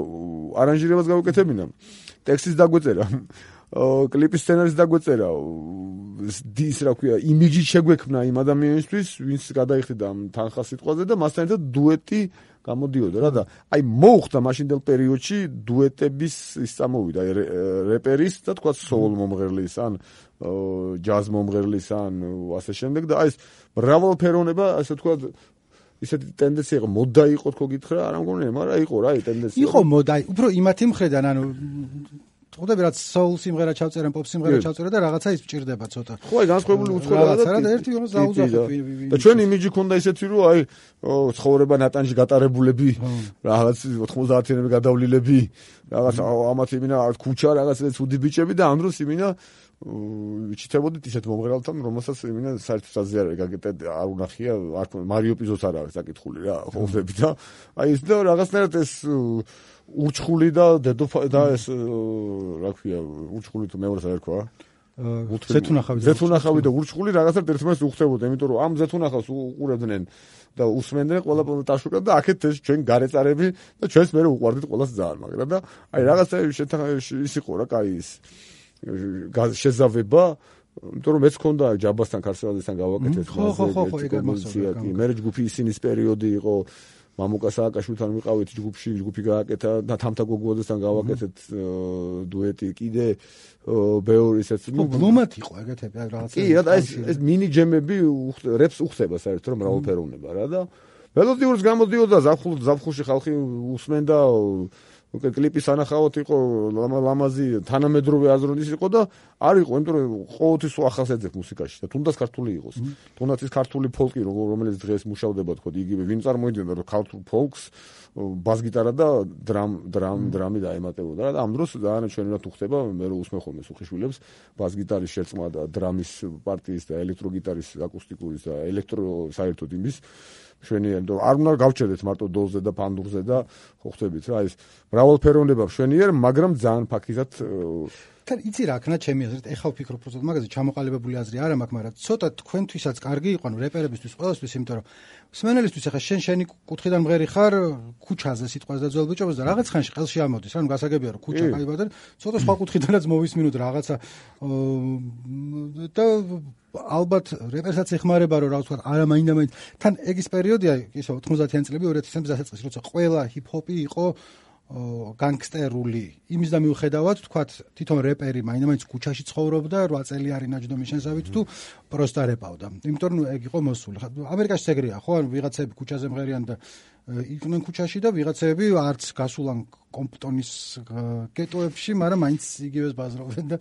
არანჟირებას გავუკეთებინა, ტექსტის დაგვეწერა, კლიპის სცენარის დაგვეწერა, დის რა ქვია, იმიჯი შეგვექმნა იმ ადამიანისთვის, ვინც გადაიხდიდა ამ თანხას სიტყვაზე და მასთან ერთად დუეტი გამოდიოდა რა და აი მოუხდა მაშინდელ პერიოდში დუეტების ის წამოვიდა რეპერის და თქვა სოულ მომღერლის ან ჯაზ მომღერლის ან ასე შემდეგ და აი ეს მრავალფეროვნება ასე თქვა ისეთი ტენდენცია იყო მოდა იყო თქო გითხრა არ მგონია მაგრამ იყო რა ტენდენცია იყო მოდა უფრო იმათი მხრიდან ანუ ხოდები რაც soul სიმღერა ჩავწერენ, pop სიმღერა ჩავწერენ და რაღაცა ის მჭირდება ცოტა. ხო, აი განსხვავებული უცხოელაა და ერთი ვიღაც დაუძახოთ. და ჩვენ იმიჯი ქონდა ისეთი რომ აი ცხოვრება ნატანში გატარებულები, რაღაც 90-იანები გადავლილები, რაღაც ამათ იმინა ქუჩა რაღაც ცუდი ბიჭები და ამ დროს იმინა ვიჩითებოდით ისეთ მომღერალთან, რომელსაც იმინა საერთოდ საზიარე არ უნახია, არ მარიო პიზოს არ არის საკითხული რა, ხოვდები და აი ის და რაღაცნაირად ეს ურჩხული და და ეს რა ქვია ურჩხული თუ მეორეს არ ერქვა ზეთუნახავი და ურჩხული რაღაცა ერთმანეთს უხდებოდა იმიტომ რომ ამ ზეთუნახავს უყურებდნენ და უსმენდნენ ყველა ტაშუკად და აქეთ ეს ჩვენ გარეწარები და ჩვენს მე უყვარდით ყველას ძალიან მაგრამ და აი რაღაცა ის იყო რა კაი ის შეზავება იმიტომ რომ მეც ქონდა ჯაბასთან ქარსელაძესთან გავაკეთეთ მასზე მე ჯგუფი ისინის პერიოდი იყო მამუკა სააკაშვილთან ვიყავით ჯგუფი გააკეთა და თამთა გოგუაძესთან გავაკეთეთ დუეტი კიდე ბევრი ისეთ ბლუმად იყო ეგეთები რაღაცა კი რა ეს მინი ჯემები რეპს უხდება საერთოდ რომ მრავალფეროვნება რა და მელოდიურს გამოდიოდა ზაფხულში ხალხი უსმენდა კლიპის ანახავად იყო ლამაზი თანამედროვე აზრონის იყო და არ იყო იმიტომ რომ ყოველთვის ახალს ეძებ მუსიკაში და თუნდაც ქართული იყოს თუნდაც ის ქართული ფოლკი რომელიც დღეს მუშავდება თქო იგივე ვინ წარმოიდგენდა რომ ქართულ ფოლკს ბას-გიტარა და დრამი დაემატებოდა და ამ დროს ძალიან ჩვენურად უხდება მე რო უსმენ ხოლმე სუხიშვილებს ბას-გიტარის შერწყმა და დრამის პარტიის და ელექტროგიტარის აკუსტიკურის და ელექტრო საერთოდ იმის შვენიერი არ უნდა გავჩერდეთ მარტო დოლზე და ფანდურზე და ხო ხვდებით რა ის მრავალფეროვნება შვენიერი მაგრამ ძალიან ფაქიზად თან იცი რა ქნა ჩემი აზრით ეხა ვფიქრობ უბრალოდ მაგაზე ჩამოყალიბებული აზრი არ მაქვს მაგრამ ცოტა თქვენთვისაც კარგი იყო ანუ რეპერებისთვის ყველასთვის იმიტომ რომ მსმენელისთვის ეხა შენი კუთხიდან მღერი ხარ ქუჩაზე სიტყვას და ძველ ბიჭებს და რაღაც ხანში ყელში ამოდის ანუ გასაგებია რომ ქუჩა კაიბა და ცოტა სხვა კუთხიდანაც მოვისმინოთ რაღაცა და ალბათ რეპერსაც ეხმარება რომ რაღაც არა მაინდა-მაინც თან ეგ ის პერიოდია ისო 90-იან წლები 2000-იან დასაწყისი როცა ყველა ჰიპ-ჰოპი იყო განგსტერული იმის და მიუხედავად თქვათ თვითონ რეპერი მაინც ქუჩაში ცხოვრობდა 8 წელიანი ნაჯდომის შესავით თუ პროსტა რეპავდა. იმიტომ რომ ეგ იყო მოსული. ამერიკაში ეგრეა, ხო? ვიღაცები ქუჩაზე მღერიან და იყვნენ ქუჩაში და ვიღაცები არც გასულან კომპტონის გეტოებში, მაგრამ მაინც იგივეს ბაზრობდნენ და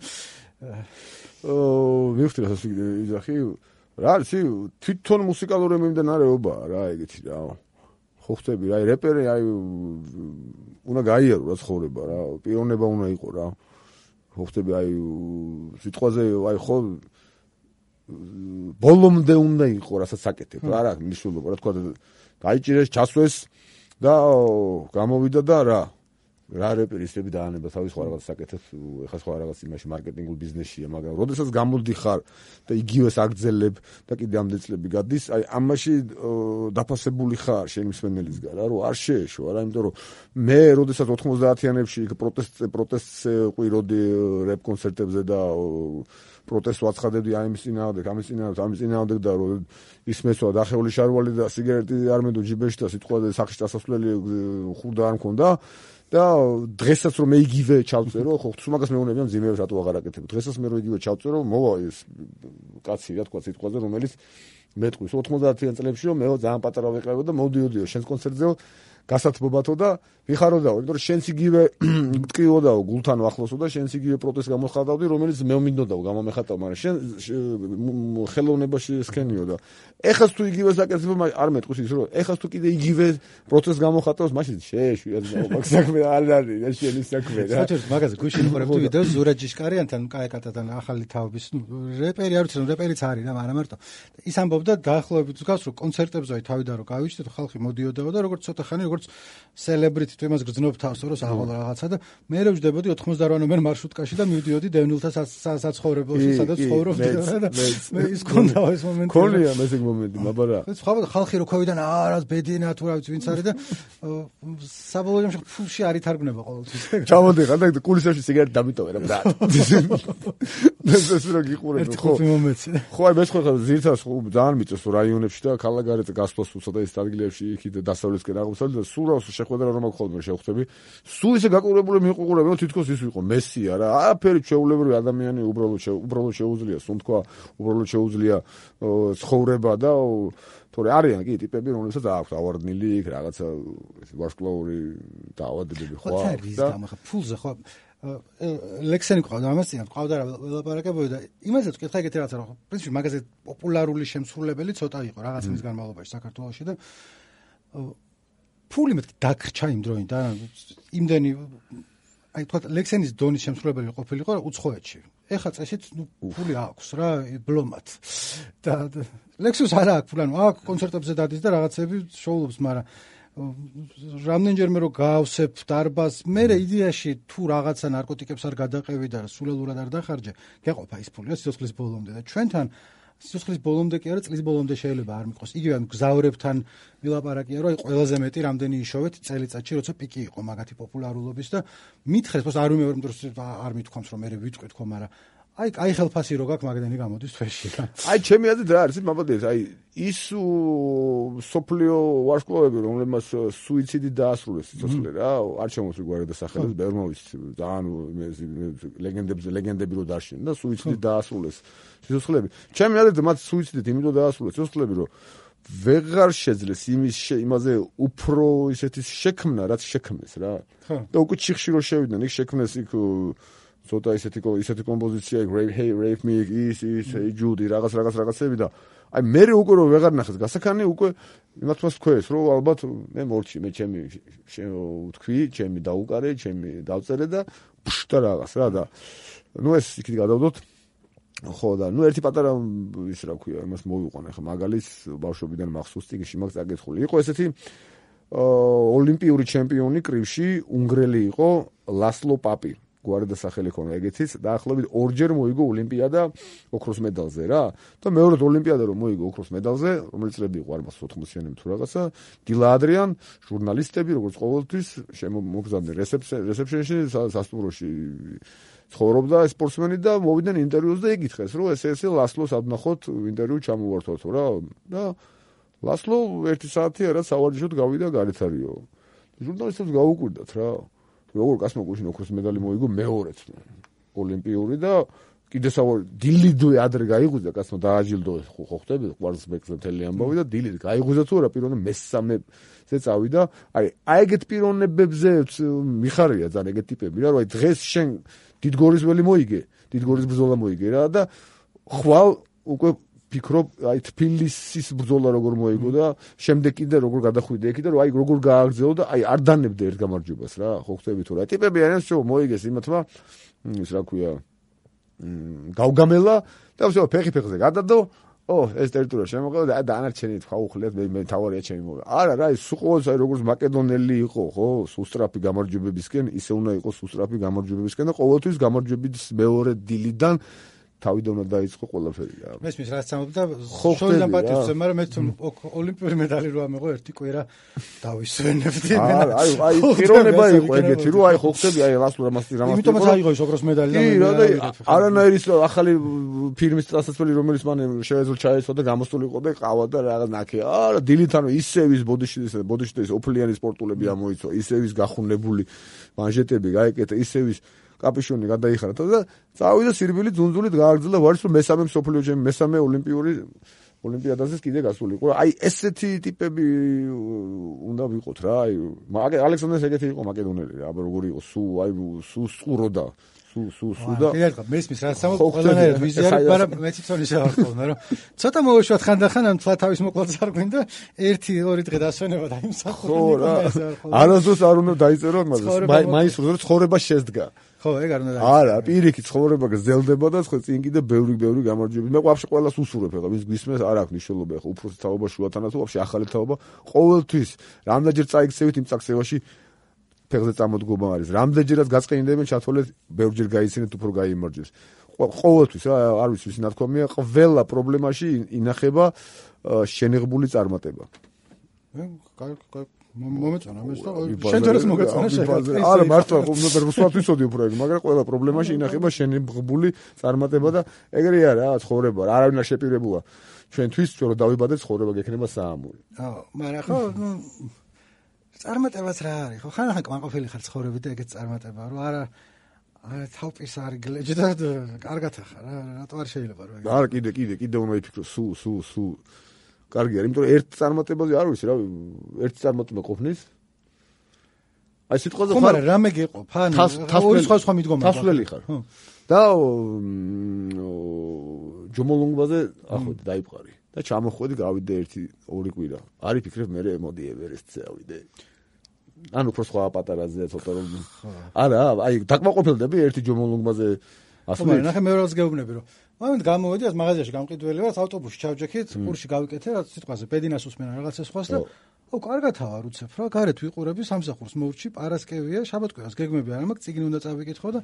მივხვდი რასაც იძახი. რა არის თვითონ მუსიკალური მიმდინარეობაა რა ეგეთი რა. ხო ხტები რა რეპერი უნდა გაიარო რა ცხოვრება რა პიროვნება უნდა იყო რა ხო ხტები სიტყვაზე ხო ბოლომდე უნდა იყო რასაც აკეთებ რა რა მნიშვნელობა რა თქვა გაიჭირეს ჩასვეს და გამოვიდა და რა რეპერისები დაანება თავის სხვა რაღაც საკეთებს ეხა სხვა რაღაც იმაში მარკეტინგულ ბიზნესშია მაგრამ როდესაც გამოდიხარ და იგივეს აგძელებ და კიდე ამდენ წლები გადის ამაში დაფასებული ხარ შენი მსმენელისგან რა რომ არ შეეშო არა იმიტომ რომ მე როდესაც 90-იანებში პროტესტს ყვიროდი რეპ კონცერტებზე და პროტესტს ვაცხადებდი ამის წინააღმდეგ და რომ ისმესვა დახეული შარვალი და სიგარეტი არ მედო ჯიბეში და სიტყვაზე სახში დასასვლელი ხურდა არ მქონდა და დღესაც რომ მე იგივე ჩავწერო ხო თუ მაგას მეუბნებიან ძიმეებს რატო აღარ აკეთებ დღესაც მე რომ იგივე ჩავწერო მოვა ეს კაცი რა თქვა სიტყვაზე რომელიც მეტყვის 90-იან წლებში რომ მე ძალიან პატარა ვიყავ და მოვდიოდიო შენს კონცერტზე გასათბობათო და ვიხაროდაო იმიტომ რომ შენს იგივე მტკიოდაო გულთან ახლოსო და შენს იგივე პროტესტს გამოხატავდი რომელიც მე მინდოდაო გამომეხატავ მაგრამ შენ ხელოვნებაში სქენიო და ეხას თუ იგივე საკეთებ არ მეტყვის ის რომ ეხას თუ კიდე იგივე პროტესტს გამოხატავს მაშინ შეეშვია მაგ საქმე არ არის და შენი საქმე რა საერთოდ მაგაზე გუშინ ვიყურებდი ვიდეოს ზურაბ ჯიშკარიანთან კაეკატათან ახალი თავის რეპერი არ ვიცი რომ რეპერიც არის რა მაგრამ მარტო ის ამბობდა დაახლოებით გავს რომ კონცერტებზე თავიდან რომ გავიჩნდეთ ხალხი მოდიოდაო და როგორც ცოტა ხანი როგორც სელებრიტი თუ იმას გრძნობ თავს რომ აღვალ რაღაცა და მე რო ვждებოდი 88 ნომერ მარშრუტკაში და მივდიოდი დევნილთა საცხოვრებელში სადაც ცხოვრობდი და მე ის კონდა ეს მომენტი ქონია მე ეს მომენტი მაბარა ხალხი რო ქოვიდან არას ბედინა თუ რა ვიცი ვინც არის და საბოლოო ჯამში ფულში არ ითარგმნება ყოველთვის ჩამოდიხარ და კულისებში სიგარეტი დამიტოვე რა ბრატ ეს რო გიყურებ ხო აი მე ხო ზირთას ხო ძალიან მიწევს რაიონებში და ქალაქგარეთ გასვლას უცოტა ის ადგილებში იქით დასავლეთისკენ აღმოსავლეთ და სულ რას შეხვედრა რომ აქ ხოლმე შევხვდები სულ ისე გაკურებული მიყურები რომ თითქოს ის ვიყო მესია რა არაფერი ჩვეულებრივი ადამიანი უბრალოდ შეუძლია სუნთქვა უბრალოდ შეუძლია ცხოვრება და თორე არიან კი ტიპები რომელსაც აქვს ავარდნილი იქ რაღაცა ვარსკვლავური დაავადებები ხო და ფულზე ხო ლექსენი ყავდა ამას წინ ყავდა რა ველაპარაკებოდი და იმასაც ვკითხა ეგეთი რაღაცა რომ პრინციპი მაგაზე პოპულარული შემსრულებელი ცოტა იყო რაღაც მის განმავლობაში საქართველოში და ფული მეთქი დაგრჩა იმ დროიდან იმდენი აი თქვა ლექსენის დონის შემსრულებელი ყოფილიყო უცხოეთში ეხა წესით ფული აქვს რა ბლომად და ლექსუს არ აქვს ფული ანუ აქ კონცერტებზე დადის და რაღაცები შოულობს მაგრამ რამდენჯერმე რომ გავსებ დარბაზს მე იდეაში თუ რაღაცა ნარკოტიკებს არ გადაყევი და სულელურად არ დახარჯე გეყოფა ის ფული სიცოცხლის ბოლომდე და ჩვენთან სიცოცხლის ბოლომდე კი არა წლის ბოლომდე შეიძლება არ მიყვოს იგივე მგზავრებთან ვილაპარაკია რომ აი ყველაზე მეტი რამდენი იშოვეთ წელიწადში როცა პიკი იყო მაგათი პოპულარულობის და მითხეს πως არ ვიმეორებ რომ არ მithქვამს რომ მე ვიტყვი თქო მაგრამ აი ხელფასი რო გაქვს მაგდენი გამოდის თვეში რა აი ჩემი აზრით რა არის მაბადია აი ის სოფლიო ვარსკვლავები რომლებმაც სუიციდი დაასრულეს სიცოცხლე რა არ შემოსული გვარი და სახელებს ბევრმა ვიცი ძალიან ლეგენდები რო დაშენ და სუიციდი დაასრულეს სიცოცხლეები ჩემი აზრით მათ სუიციდით იმიტომ დაასრულეს სიცოცხლეები რომ ვეღარ შეძლეს იმაზე უფრო ისეთი შექმნა რაც შექმნეს რა და უკვე ჩიხში რო შევიდნენ იქ შექმნეს იქ ცოტა ისეთი კომპოზიცია Rape Me is Judy რაღაცები და აი მე უკვე რო ვეღარ ნახეს გასახანი უკვე იმათმას თქვეს რომ ალბათ მე მორჩი მე ჩემი ვთქვი ჩემი დაუკარე ჩემი დავწერე და და რაღაც რა და ნუ ეს იქით გადავდოთ ხო და ნუ ერთი პატარა ის რა ქვია იმას მოვიყვანე ხა მაგალითს ბავშვობიდან მახსოვს ტიგში მაგ წაკითხული იყო ესეთი ოლიმპიური ჩემპიონი კრივში უნგრელი იყო ლასლო პაპი გვარი და სახელი ქონა ეგეთის დაახლოებით ორჯერ მოიგო ოლიმპიადა ოქროს მედალზე რა და მეორედ ოლიმპიადა რომ მოიგო ოქროს მედალზე რომელიც წლები იყო არ მას 80-იანები თუ რაღაცა დილა ადრიან ჟურნალისტები როგორც ყოველთვის მოგზავნე რეცეპშენში სასტუმროში ცხოვრობდა სპორტსმენი და მოვიდნენ ინტერვიუს და ეკითხეს რომ ესე ლასლოს ადნახოთ ინტერვიუ ჩამოვართვათო რა და ლასლო 1 საათი არა სავარჯიშოდ გავიდა გარეთ არისო ჟურნალისტებს გაუკვირდათ რა როგორ კაცმა გუშინ ოქროს медаლი მოიგო მეორეც ოლიმპიური და კიდე საوار დილიდვე ადრე გაიღვიძა კაცმა დააჯილდო ხო ხტები ყვარცხლბეკზე მთელი ამბავი და დილით გაიღვიძა თუ არა პიროვნე მესამეზე წავიდა აი ეგეთ პიროვნებებზე მიხარია ძალიან ეგეთ ტიპები რა რომ აი დღეს შენ დიდგორისველი მოიგე დიდგორის ბრძოლა მოიგე რა და ხვალ უკვე ფიქრობ აი თბილისის ბრძოლა როგორ მოიგო და შემდეგ კიდე როგორ გადახვიდე იქ და რომ აი როგორ გააგრძელო და აი არ დანებდე ერთ გამარჯვებას რა ხო ხტები თუ რა ტიპები არიან შო მოიგეს იმათმა ის რა ქვია გავგამელა და всё ფეხი-ფეხზე გადადო ეს ტერიტორია შემოყედა და დანარჩენი თქვა უხლეთ მე თავარია ჩემი მოგა არა რა ის სულ აი როგორც მაკედონელი იყო ხო სუსტრაფი გამარჯვებებისკენ ისე უნდა იყოს სუსტრაფი გამარჯვებებისკენ და ყოველთვის გამარჯვების მეორე დილიდან თავიდან უნდა დაიწყო ყველაფერი რა მესმის რაც ამბობდა შორიდან პატივზე მაგრამ მე თუ ოლიმპიური медаლი რო ამეღო ერთი კვირა დავისვენებდი აი პიროვნება იყო ეგეთი რომ აი ხო ხტები აი რამას იმიტომაც აიღო ის ოქროს медаლი და არანაირი ახალი ფილმის წასასვლელი რომელიც მან შეეძლო ჩაეცვა და გამოსული იყო და ყავა და რაღაც ნაკე არა დილით ანუ ისევის ბოდიში და ოფლიანი სპორტულები ამოიცვა ისევის გახუნებული მანჟეტები გაეკეთა ისევის კაპიშონი გადაიხარა და წავიდა სირბილი ძუნძულით გააგრძელა ვარის რომ მესამე მსოფლიო ჩემპიონი მესამე ოლიმპიური ოლიმპიადაზე კიდე გასულიყო აი ესეთი ტიპები უნდა ვიყოთ რა აი ალექსანდრეს ეგეთი იყო მაკედონელი რა როგორი იყო სუ სყუროდა სუ და მესმის რაც ამბობ ყველანაირად ვიზიარი მაგრამ მე თვითონ ისე ვარ ხოლმე რომ ცოტა მოვუშვათ ხანდახან ამ თლა თავის მოკლაც არ გვინდა 1-2 დღე დასვენება და იმსახურება არასდროს არ უნდა დაიწერო მაგას მაინც რომ ცხოვრება შეძდგა ხო ეგ არ უნდა არა პირიქით ცხოვრება გრძელდება და ხო წინ კიდე ბევრი გამარჯვებები მე ვაფშე ყველას უსურვებ ახლა ვის გვისმენს არ აქვს მნიშვნელობა ახლა უფროსი თაობა შუათანა თუ ვაფშე ახალი თაობა ყოველთვის რამდენჯერ წაიქცევით იმ წაქცევაში ფეხზე წამოდგომა არის რამდენჯერაც გაწყენინდებენ ჩათვალეთ ბევრჯერ გაიცინეთ უფრო გაიმარჯვეს ყოველთვის რა არ ვიცი ვის ნათქვამია ყველა პრობლემაში ინახება შენიღბული წარმატება მომეწონა მე შენ თორეს მოგეწონა შენ არა მართლა რუსულად ვიცოდი უფრო ეგ მაგრამ ყველა პრობლემაში ინახება შენიღბული წარმატება და ეგრეა რა ცხოვრება არავინ არ შეპირებულა ჩვენთვის ჩვენ რომ დავიბადეთ ცხოვრება გექნება საამური მაგრამ ხო წარმატებაც რა არის ხო ხან კმაყოფილი ხარ ცხოვრებით და ეგეც წარმატება რომ არა თავის არ გლეჯ და კარგად ახარ რა რატო არ შეიძლება რომ ეგ არა კიდე უნდა იფიქრო სულ კარგი არის იმიტომ რომ ერთ წარმატებაზე არ ვიცი რა ერთი წარმატება ყოფნის აი სიტყვაზე ხარ რამე გეყოფ ან ორი სხვა მიდგომა თასვლელი ხარ და ჯომოლონგბაზე ახოთ დაიფყარი და ჩამოხვედი გავიდე 1-2 კვირა არ იფიქრებ მე მოდი ევერესტზე ავიდე ანუ უფრო სხვა პატარაზე ცოტა რომ არა აი დაკმაყოფილდები ერთი ჯომოლონგბაზე ასე მაგრამ ნახე მეორეც გეუბნები რომ მომენტ გამოვედი ეს მაღაზიაში გამყიდველი ვარ ავტობუსში ჩავჯექით ყურში გავიკეთე რა სიტყვაზე პედინას უსმენა რაღაცა სხვას და კარგათავარ უცებ რა გარეთ ვიყურები სამსახურს მოვრჩი პარასკევია შაბათ-კვირას გეგმები არ მაქვს წიგნი უნდა წავიკითხო და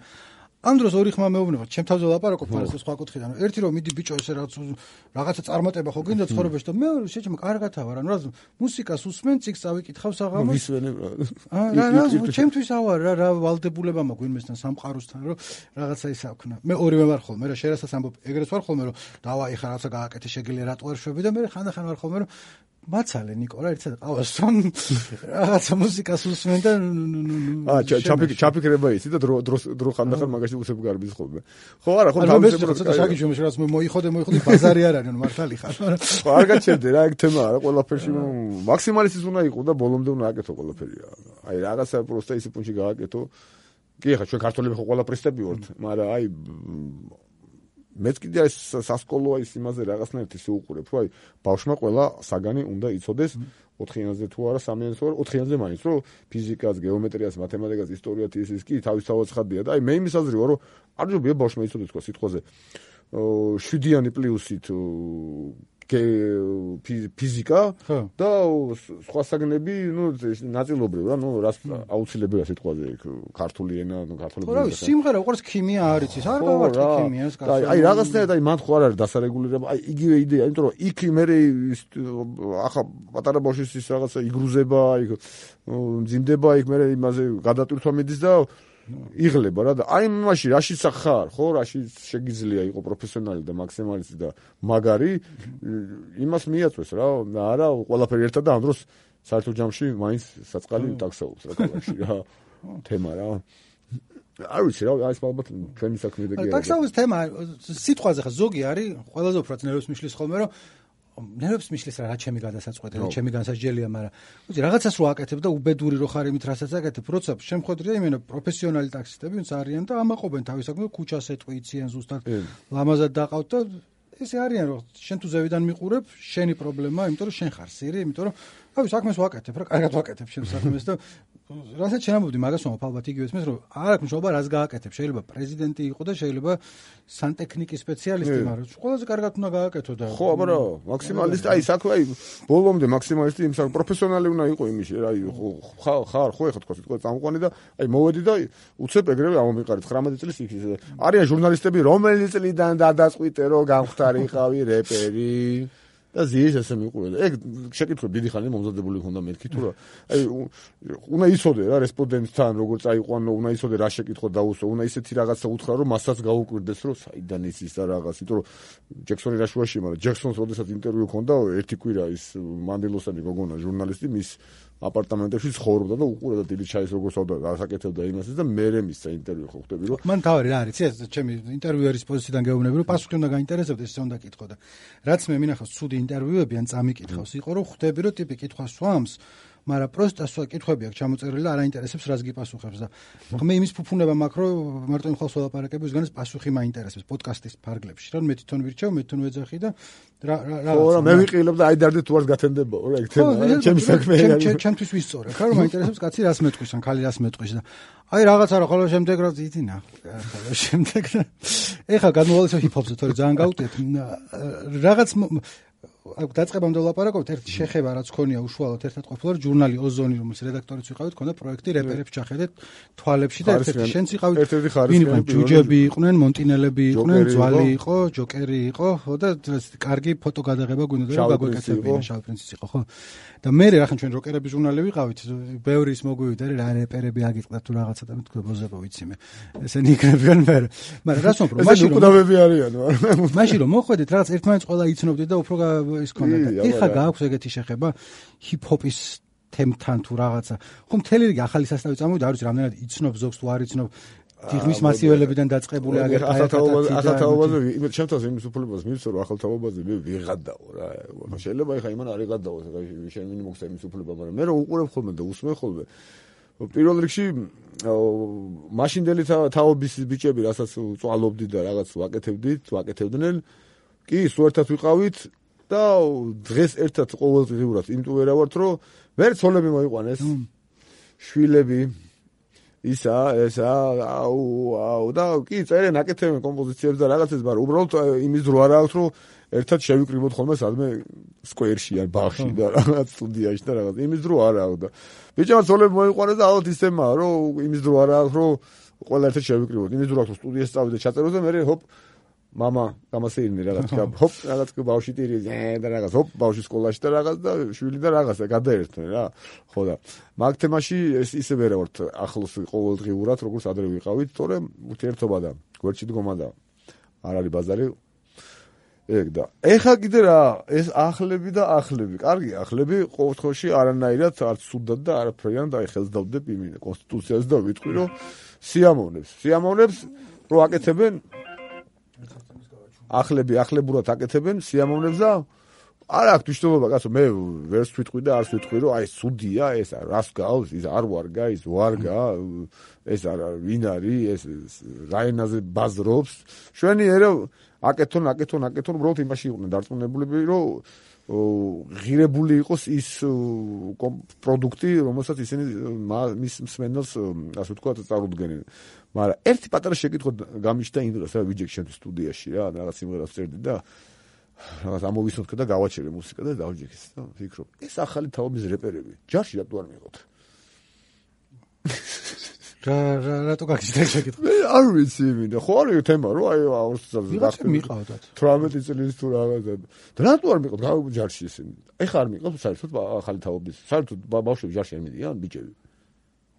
ამ დროს ორი ხმა მეუბნება ჩემ თავზე ლაპარაკობ ფარას სხვა კუთხიდან ერთი რომ მიდი ბიჭო ესე რაღაცა წარმატება ხო გინდა ცხოვრებაში და მეორე შეჭმა კარგათავარ ანუ რა მუსიკას უსმენ წიგს წავიკითხავ საღამოს ვისვენებ რა ჩემთვის ავარ რა ვალდებულება მაქვს ვინმესთან სამყაროსთან რომ რაღაცა ის აქვს მე ორივე ვარ ხოლმე რა შერასაც ამბობ ეგრეთ ვარ ხოლმე რომ დავაი ხა რაღაცა გააკეთე შეგიძლია რატო არ შვები და მე ხანდახან ვარ ხოლმე რომ მაცალე ნიკო რა ერთად ყავასთან რაღაცა მუსიკას უსმენ და ჩაფიქრება იცი და დრო ხანდახან მაგაში უსებ გარბის ხოლმე ხო არა ხო თავისებურად შაგიშვი რაღაც მოიხოდე ბაზარი არ არის მართალი ხარ ხო არ გაჩერდე რა ეგ თემა არა ყველაფერში მაქსიმალისტის უნდა იყო და ბოლომდე უნდა აკეთო ყველაფერი აი რაღაცა პროსტა ისე პუნჩი გააკეთო კი ხა ჩვენ ქართველები ხო ყველა პრესტები ვართ მაგრამ აი მეც კიდე ეს სასკოლო ის იმაზე რაღაცნაირად ისე უყურებ რომ აი ბავშვმა ყველა საგანი უნდა იცოდეს 4-იანზე თუ არა 3-იანზე თუ არა 4-იანზე მაინც რომ ფიზიკას, გეომეტრიას, მათემატიკას, ისტორიას ის კი თავისთავად ხადია და აი მე იმის აზრი ვარ რომ არ ჯობია ბავშვმა იცოდეს თქვა სიტყვაზე 7-იანი პლუსით ფიზიკა და სხვა საგნები ნუ ნაწილობრივ რა ნუ რას აუცილებელია სიტყვაზე ქართული ენა ნუ ქართული რა სიმღერა უყურს ქიმია არ იცის არ გავარტყი ქიმიას კაცო აი რაღაცნაირად აი მან ხო არ არის დასარეგულირება აი იგივე იდეა იმიტომ რომ იქ მე ახლა პატარა ბავშვის ის რაღაცა იგრუზება აი მძიმდება იქ მე იმაზე გადატვირთვა მიდის და იღლება რა და აი მაშინ რაშიც ხარ ხო რაშიც შეგიძლია იყო პროფესიონალი და მაქსიმალისტი და მაგარი იმას მიაწვეს რა არა ყველაფერი ერთად და ამ დროს საერთო ჯამში მაინც საწყალი ტაქსაობს რა ქალაქში რა თემა რა. არ ვიცი რა, ეს ალბათ ჩვენი საქმე და კი არა. ტაქსაურის თემა სიტყვაზე ხა ზოგი არის, ყველაზე უფრო ნერვებს მიშლის ხოლმე, რომ ნერვებს მიშლის რა ჩემი გადასაწყვეტი, რა ჩემი განსაჯელია, მაგრამ ვიცი, რაღაცას რო აკეთებ და უბედური რო ხარ იმით, რასაც აკეთებ, როცა შემხვედრია იმენა პროფესიონალი ტაქსისტები, ვინც არიან და ამაყობენ თავის საქმეს, ქუჩას ეტყვიციან ზუსტად, ლამაზად დაყავთ და ესე არიან, რომ შენ თუ ზევიდან მიყურებ, შენი პრობლემაა, იმიტომ რომ შენ ხარ სირი, იმიტომ რომ თავის საქმეს ვაკეთებ, რა, კარგად ვაკეთებ შენ საქმეს და რასაც შენამოვდი მაგას ვამბობ, ალბათ იგივე ესმის, რომ არ აქვს მშობა რას გააკეთებ, შეიძლება პრეზიდენტი იყო და შეიძლება სანტექნიკის სპეციალისტი, მაგრამ ყველაზე კარგად უნდა გააკეთო და ხო, აბა მაქსიმალისტი, აი საქმე, აი ბოლომდე მაქსიმალისტი იმ საქმე პროფესიონალი უნდა იყო იმაში, აი ხარ, ხო ეხლა თქვა სიტყვა წამყვანი და აი მოვედი და უცებ ეგრევე ამომიყარეთ 19 წლის იქ არიან ჟურნალისტები, რომელი წლიდან დადაწყვიტე რომ გამختارიყავი რეპერი და ზის ესე მიყურე. ეგ შეკითხები დიდი ხანი მომზადებული ხონდა მეთქი თუ რა. აი უნდა იცოდე რა რესპონდენტთან როგორ წაიყვანო, უნდა იცოდე რა შეკითხვა დაუსვა, უნდა ისეთი რაღაცა უთხრა რომ მასაც გაუკვირდეს რომ საიდან იცის და რაღაც, იმიტომ რომ ჯექსონი რა შუაში, მაგრამ ჯექსონს როდესაც ინტერვიუ ჰქონდა ერთი კვირა ის მანდილოსელი გოგონა ჟურნალისტი მის აპარტამენტებში ცხოვრობდა და უყურებდა დილით ჩაის როგორ სვავდა გასაკეთებდა იმასაც და მერე მისცა ინტერვიუ ხო ხვდები რომ მან თავი რა არის ეს ჩემი ინტერვიუერის პოზიციიდან გეუბნები რომ პასუხი უნდა გაინტერესებდეს ესე უნდა კითხო და რაც მე მინახავს ცუდი ინტერვიუები ან წამიკითხავს იყო რომ ხვდები რომ ტიპი კითხვას სვამს მაგრამ პროსტა კითხვები აქვს ჩამოწერილი და არ აინტერესებს რას გიპასუხებს და მე იმის ფუფუნება მაქვს რომ მარტო იმ ხალხს ვლაპარაკები ვისგანაც პასუხი მაინტერესებს პოდკასტის ფარგლებში რა მე თვითონ ვირჩევ მე თვითონ ვეძახი და რა ხო მე ვიყილებ და აი დარდე თუ არ გათენდება რა ეგ თემა ჩემი საქმე არის ჩემთვის ვისწორებ რა რომ მაინტერესებს კაცი რას მეტყვის ან ქალი რას მეტყვის და აი რაღაცა რა ხოლმე შემდეგ რა ძიძინა ხოლმე შემდეგ ეხლა გადმოვალეს ჰიპ-ჰოპზე თორე ძალიან გავუტეთ რაღაც აქ დაწყებამდე ვლაპარაკობთ ერთი შეხება რაც ქონია უშუალოდ ერთად ყოფილა ჟურნალი ოზონი რომელის რედაქტორიც ვიყავით ქონდა პროექტი რეპერებს ჩახედეთ თვალებში და ერთ-ერთი შენც იყავით ვინ იყო ჯუჯები იყვნენ მონტინელები იყვნენ ძვალი იყო ჯოკერი იყო ხო და კარგი ფოტო გადაღება გვინდა და გაგვეკეთებინა შავ პრინციც იყო ხო და მე რახან ჩვენ როკერების ჟურნალი ვიყავით ბევრი ის მოგვივიდა რა რეპერები აგიწყდა თუ რაღაცა და მეთქვა ბოზებო ვიცი მე ესენი იქნებიან მე მაგრამ რას ვამბობ მაშინ უკდავები არიან მაშინ რომ მოხვედით რაღაც ერთმანეთს ყველა იცნობდით და უფრო ის ქონდა და ეხა გააქვს ეგეთი შეხება ჰიპ-ჰოპის თემთან თუ რაღაცა ხო მთელი რიგი ახალი სასტავი წამოვიდა არ ვიცი რამდენად იცნობ ზოგს თუ არ იცნობ დიღმის მასიველებიდან დაწყებული აგერ ახალთაობაზე ჩემთვის იმის უფლებას მივცე რომ ახალთაობაზე მე ვიღადაო რა შეიძლება ეხა იმან არ იღადაოს შენ ვინ მოგცა იმის უფლება მაგრამ მე რო უყურებ ხოლმე და უსმენ ხოლმე პირველ რიგში მაშინდელი თაობის ბიჭები რასაც წვალობდი და რაღაც ვაკეთებდნენ კი სულ ერთად ვიყავით და დღეს ერთად ყოველდღიურად იმიტომ ვერა ვართ რომ მე ცოლები მოიყვანეს შვილები ისა აუ და კი წერენ აკეთებენ კომპოზიციებს და რაღაცებს მაგრამ უბრალოდ იმის დრო არ აქვს რომ ერთად შევიკრიბოთ ხოლმე სადმე სკვერში ან ბაღში და რაღაც სტუდიაში და რაღაც იმის დრო არ აქვს და ბიჭებმა ცოლები მოიყვანეს და ალბათ ისემაა რომ იმის დრო არ აქვს რომ ყველა ერთად შევიკრიბოთ იმის დრო აქვს სტუდიაში წავიდე ჩაწეროთ და მე ჰოპ мама გამასეირნე რაღაც ჰოპ რაღაც ბავშვი ტირი და რაღაც ჰოპ ბავშვი სკოლაში და რაღაც და შვილი და რაღაცა გადაერთნენ რა ხო და მაგ თემაში ეს ისე ვერა ვართ ახლოს ყოველდღიურად როგორც ადრე ვიყავით თორემ ურთიერთობა და გვერდში დგომა და არ არის ბაზარი ეგ და ეხა კიდე რა ეს ახლები და ახლები კარგი ახლები ყოველ შემთხვევაში არანაირად არც სუდად და არაფერიან და ხელს დავდებ იმ კონსტიტუციას და ვიტყვი რომ სიამოვნებს რო აკეთებენ ახლებურად აკეთებენ სიამოვნებს და არ აქვს მნიშვნელობა კაცო მე ვერც ვიტყვი და არც ვიტყვი რომ აი სუდია ეს რას გავს ის არ ვარგა ის ვარგა ეს არა ვინ არის ეს რაენაზე ბაზრობს შვენი ერა აკეთონ უბრალოდ იმაში იყვნენ დარწმუნებულები რომ ღირებული იყოს ის პროდუქტი რომელსაც ისინი მის მსმენელს ასე ვთქვათ წარუდგენენ მაგრამ ერთი პატარა შეკითხვა გამიჩნდა იმ დროს რა ვიჯექ შენ სტუდიაში რა რაღაც სიმღერას წერდი და რაღაც ამოვისმოთქე და გავაჩერე მუსიკა და დავჯექე და ვფიქრობ ეს ახალი თაობის რეპერები ჯარში რატო არ მიყოთ რატო გაგიჩნდა შეკითხვა არ ვიცი მინდა ხო არის თემა რომ აი ვიღაცა მიყავდათ 18 წლის თუ რაღაცა და რატო არ მიყოთ ჯარში ისინი ეხა არ მიყოთ საერთოდ ახალი თაობის საერთოდ ბავშვები ჯარში არ მიდიან ბიჭები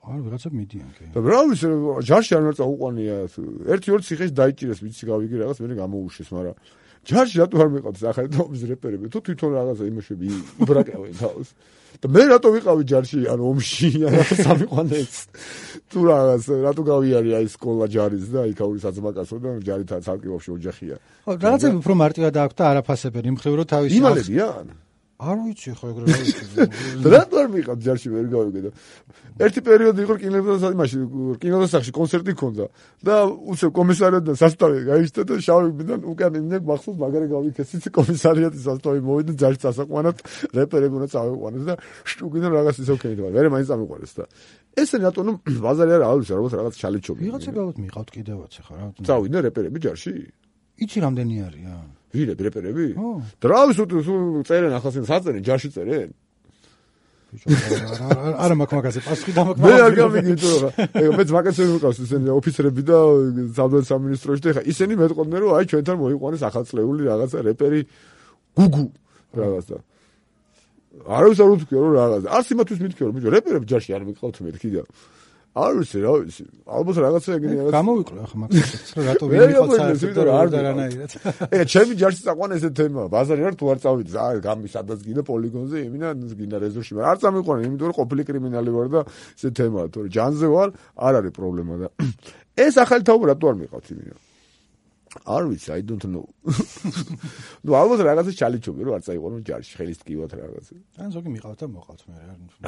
არ ვიღაცა მიდიან კი და რა ვიცი ჯარში არ უნდა წაუყვანია 1-2 ციხეში დაიჭირეს ვიცი გავიგე რაღაც მე გამოუშვეს მაგრამ ჯარში რატო არ მეყავთ ახალი თომის რეპერები? თუ თვითონ რაღაცა იმაშები იბრაკავენ თავს. და მე რატო ვიყავი ჯარში, ანუ ომში, ანუ სამიყვანეც. თუ რაღაც, რატო გავიარე აი სკოლა ჯარის და იქაური საძმაკაცო და ჯარით ცალკე ოჯახია. ხო, რაღაცები უფრო მარტივად აქვს და არაფასებენ იმ ხრივ რომ თავისი იმალებიან. არ ვიცი ხო ეგრე რა ვიცი. რატო არ მიყავ ჯარში ვერ გავიგე და ერთი პერიოდი იყო კინოდასახში კონცერტი ქონდა და უცებ კომისარიატიდან სასტავი გაიშთა და შავიდან უკან იმნებ მახსოვს მაგარი გავიქეცით კომისარიატის სასტავი მოვიდა ჯარში სასაყვანად რეპერები უნდა წავიყვანეს და შტუგიდან რაღაც ისე ვქენით მაგრამ მე მაინც წამიყვანეს და ესენი რატო ნუ ბაზარი არ არის ალბათ რაღაც ჩალიჩობი ვიღაცები ალბათ მიყავთ კიდევაც ხო რა წავიდნენ რეპერები ჯარში იცი რამდენი არია ვირები რეპერები და რა ვიცი თუ წერენ ახლა საწერენ ჯარში წერენ არა მაქვს მაგაზე პასუხი და მაქვს მე არ გამიგე თუ რა მეც მაგაზე ვიყავს ისინი ოფიცრები და სამხედრო სამინისტროში და ხა ისინი მეტყოდნენ რომ აი ჩვენთან მოიყვანეს ახალწლეული რაღაცა რეპერი გუგუ რაღაცა არ ვიცი რა თქვი რომ რაღაცა არც იმათვის მითქი რომ ბიჭო რეპერები ჯარში არ მიყავთ მეთქი და არ ვიცი რა ვიცი ალბათ რაღაცა ეგრე რაღაც გამოვიკლო ახლა მაგას რომ რატო ვიყავ საერთოდ არ დარანაირად ეგ ჩემი ჯარში საყვან ესე თემაა ბაზარი არ თუ არ წავიდი აი გამი სადაც გინდა პოლიგონზე იმინა გინდა რეზორში არ წამიყვანე იმიტომ რომ ყოფილი კრიმინალი ვარ და ესე თემაა თორე ჯანზე ვარ არ არის პრობლემა და ეს ახალი თაობა რატო არ მიყავთ იმინა არ ვიცი I don't know ნუ ალბათ რაღაცა ჩალიჩობი რომ არ წაიყვანო ჯარში ხელის ტკივად რაღაცა ან ზოგი მიყავთ და მოყავთ მე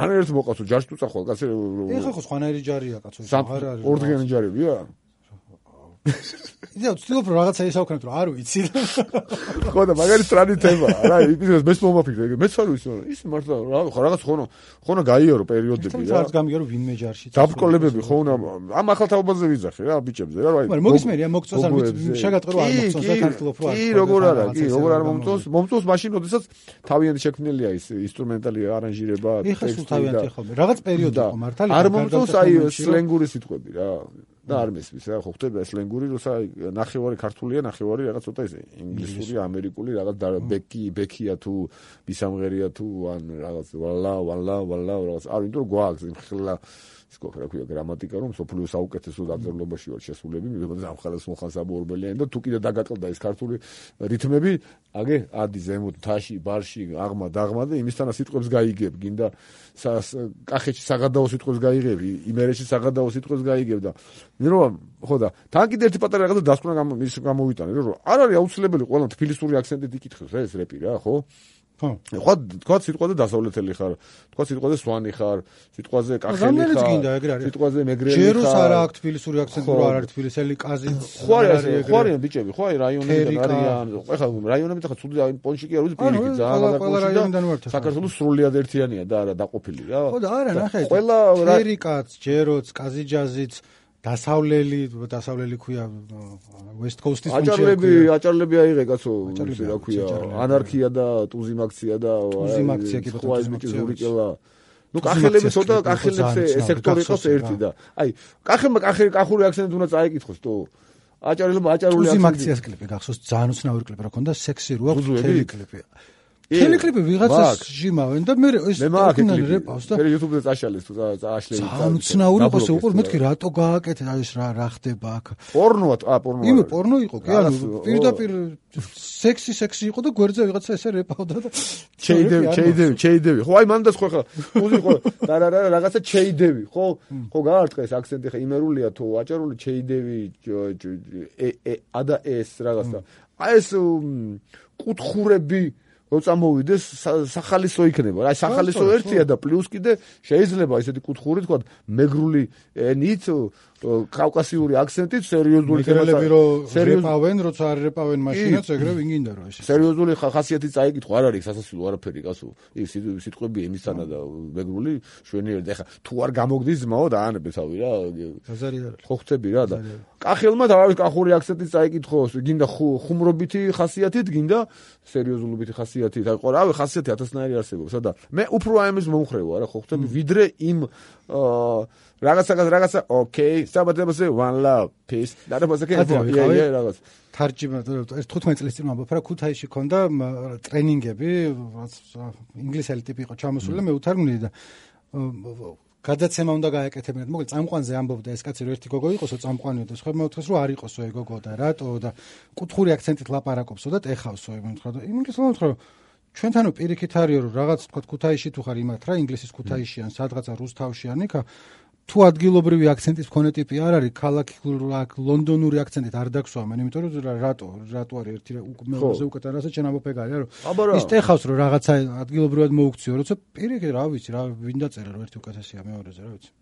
არ ერთ მოყავთ ჯარში თუ წახვალ კაცი ეხა ხო სხვანაირი ჯარია კაცო არ არის ორდღიანი ჯარებია იდეა ვცდილობ რომ რაღაცა ისაუქნათ რომ არ ვიცი ხო და მაგარი სტრანი თემაა რა ის მეც მომაფიქრე მეც არ ვიცი ის მართლა რაღაც ხონა გაიარო პერიოდები რა რაც გამიგე რომ ვინმე ჯარში დაბკოლებები ხონა ამ ახალ თაობაზე ვიძახე რა ბიჭებზე რა მაგრამ მოგისმენია მოგწონს არ ვიცი შეგატყო რომ არ მოგწონს და ქართულობ რო არ კი როგორ არა კი როგორ არ მომწონს მაშინ როდესაც თავიანთი შექმნილია ის ინსტრუმენტალი არანჟირება ტექსტი თავიანთი ხოლმე რაღაც პერიოდი იყო მართალი არ მომწონს აი სლენგური სიტყვები რა და არ მესმის რა ხო ხდება სლენგური როცა ნახევარი ქართულია ნახევარი რაღაც ცოტა ისე ინგლისური ამერიკული რაღაც ბეკია თუ ბისამღერია თუ ან რაღაც ვალა რაღაც არ იმიტომ რომ გვაქვს იმხელა ისკო რა ქვია გრამატიკა რომ სოფლიო საუკეთესო დაწერილობაში ვარ შესულები მიგებოდა ამხელას მოხანსაბორბელიანი და თუ კიდე დაგაკლდა ეს ქართული რითმები აგე ადი ზემოთ თაში ბარში აღმა დაღმა და იმისთანა სიტყვებს გაიგებ გინდა კახეთში საღადაო სიტყვებს გაიგებ იმერეთში საღადაო სიტყვებს გაიგებ და მიროა ხო და თან კიდე ერთი პატარა რაღაცა დასკვნა გამოვიტანე რომ არ არის აუცილებელი ყველა თბილისური აქცენტით იკითხოს ეს რეპი რა ხო ხო თქვა სიტყვაზე დასავლეთელი ხარ თქვა სიტყვაზე სვანი ხარ სიტყვაზე კახელი ხარ სიტყვაზე მეგრელი ხარ ჯეროს არა აქვს თბილისური აქცენტი რო არ არის თბილისელი კაზიც ხო არის ბიჭები ხო აი რაიონებიდან არიან ეხლა რაიონებიდან ხა ცუდი პონჩი კი არ ვიცი პირიქით ძალიან გადაკავშირდა საქართველოს სრულიად ერთიანია და არა დაყოფილი რა ხო და არა ნახე ყველა ფერიკაც ჯეროც კაზიჯაზიც დასავლელი ქვია West Coast-ის აჭარლები აიღე კაცო ისე რა ქვია ანარქია და ტუზიმაქცია და ზურიკელა ნუ კახელები ცოტა კახელებს სექტორი იყოს ერთი და აი კახური აქცენტი უნდა წაიკითხოს თუ აჭარული აქცენტი ტუზიმაქციას კლიპი გახსოვს ძალიან უცნაური კლიპი რა ქონდა სექსი რო აქვს თელი კლიპი თელი კლიპი ვიღაცას ჟიმავენ და მე ეს რეპავს და მე YouTube-ზე წაშალეს თუ წაშლე ძალიან უცნაური ყოს უყურ მეთქი რატო გააკეთე ეს რა ხდება აქ პორნოა პორნო იმე პორნო იყო კი ანუ პირდაპირ სექსი იყო და გვერდზე ვიღაცა ესე რეპავდა და ჩეიდევი ხო აი მანდას ხო ხა უზი ხო და რაღაცა ჩეიდევი ხო გაარტყეს აქცენტი ხა იმერულია თუ აჭარული ჩეიდევი ადა ეს რაღაცა აი ეს კუთხურები რო წამოვიდეს სახალისო იქნება. აი სახალისო ერთია და პლუს კიდე შეიძლება ისეთი კუთხური თქვა მეგრული ენით კავკასიური აქცენტით სერიოზული თემაა. სერიოზული როცა არ რეპავენ მაშინაც ეგრე ვინ გინდა რომ ეს. სერიოზული ხასიათი წაიკითხო არ არის სასასილო არაფერი კაცო. ის სიტყვები ემისთანა და მეგრული შვენიერი და ხა თუ არ გამოგდის ძმაო დაანებე თავი რა. აზარი არა. ხო ხტები რა და კახელმა თავის კახური აქცენტით წაიკითხო გინდა ხუმრობითი ხასიათით გინდა სერიოზულობითი ხასიათით. აი ყორავი ხასიათი ათასნაირი არსებობს და მე უფრო აემის მომხრევა რა ხო ხტები ვიდრე იმ რაღაცა ოკეი საბადებზე one love peace დარბაზა კეთილია რაღაც თარჯიმა 15 წლის წინ ვამბობ რა ქუთაისში ქონდა ტრენინგები ინგლისელი ტიპი იყო ჩამოსული და მე უთარგმნილი და გადაცემა უნდა გააკეთებინათ. მოკლედ წამყვანზე ამბობდა ეს კაცი, რომ ერთი გოგო იყოსო წამყვანიო და სხვა მეოთხეს რომ არ იყოსო ეგ გოგო და რატო და კუთხური აქცენტით ლაპარაკობსო და ტეხავსო ეგ მომთხრა და იმის მომთხრა რომ ჩვენთანო პირიქით არის რომ რაღაც თქვა ქუთაისში თუ ხარ იმათ რა ინგლისის ქუთაისში ან სადღაცა რუსთავში ან იქა თუ ადგილობრივი აქცენტის მქონე ტიპი არ არის ქალაქი ლონდონური აქცენტით არ დაგსვამენ იმიტომ რომ რატო არის ერთი მეორეზე უკეთ რასაც შენ ამოფეგარი რომ ის ტეხავს რომ რაღაცა ადგილობრივად მოუქციო როცა პირიქით რა ვიცი რა ვინ დაწერა რომ ერთი უკეთესია მეორეზე რა ვიცი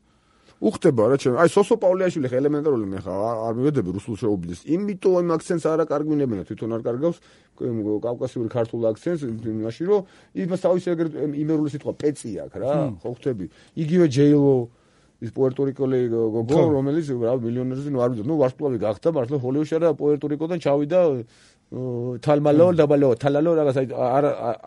უხდება რა ჩემ აი სოსო პავლეაშვილი ხა ელემენტარული მე ხა არ მივედები რუსულ შეუბლის იმიტომ იმ აქცენტს არ აკარგვინებენ თვითონ არ კარგავს კავკასიური ქართულ აქცენტს იმაში რომ იმას თავის ეგრეთ იმერული სიტყვა პეცი აქვს რა ხო ხვდები იგივე ჯეილო ის პუერტორიკოლი გოგო რომელიც რა მილიონერზე ნუ არ ვიცი ნუ ვარსკვლავი გახდა მართლა ჰოლივუდში არა პუერტორიკოდან ჩავიდა თალმალო თალალო რაღაც აი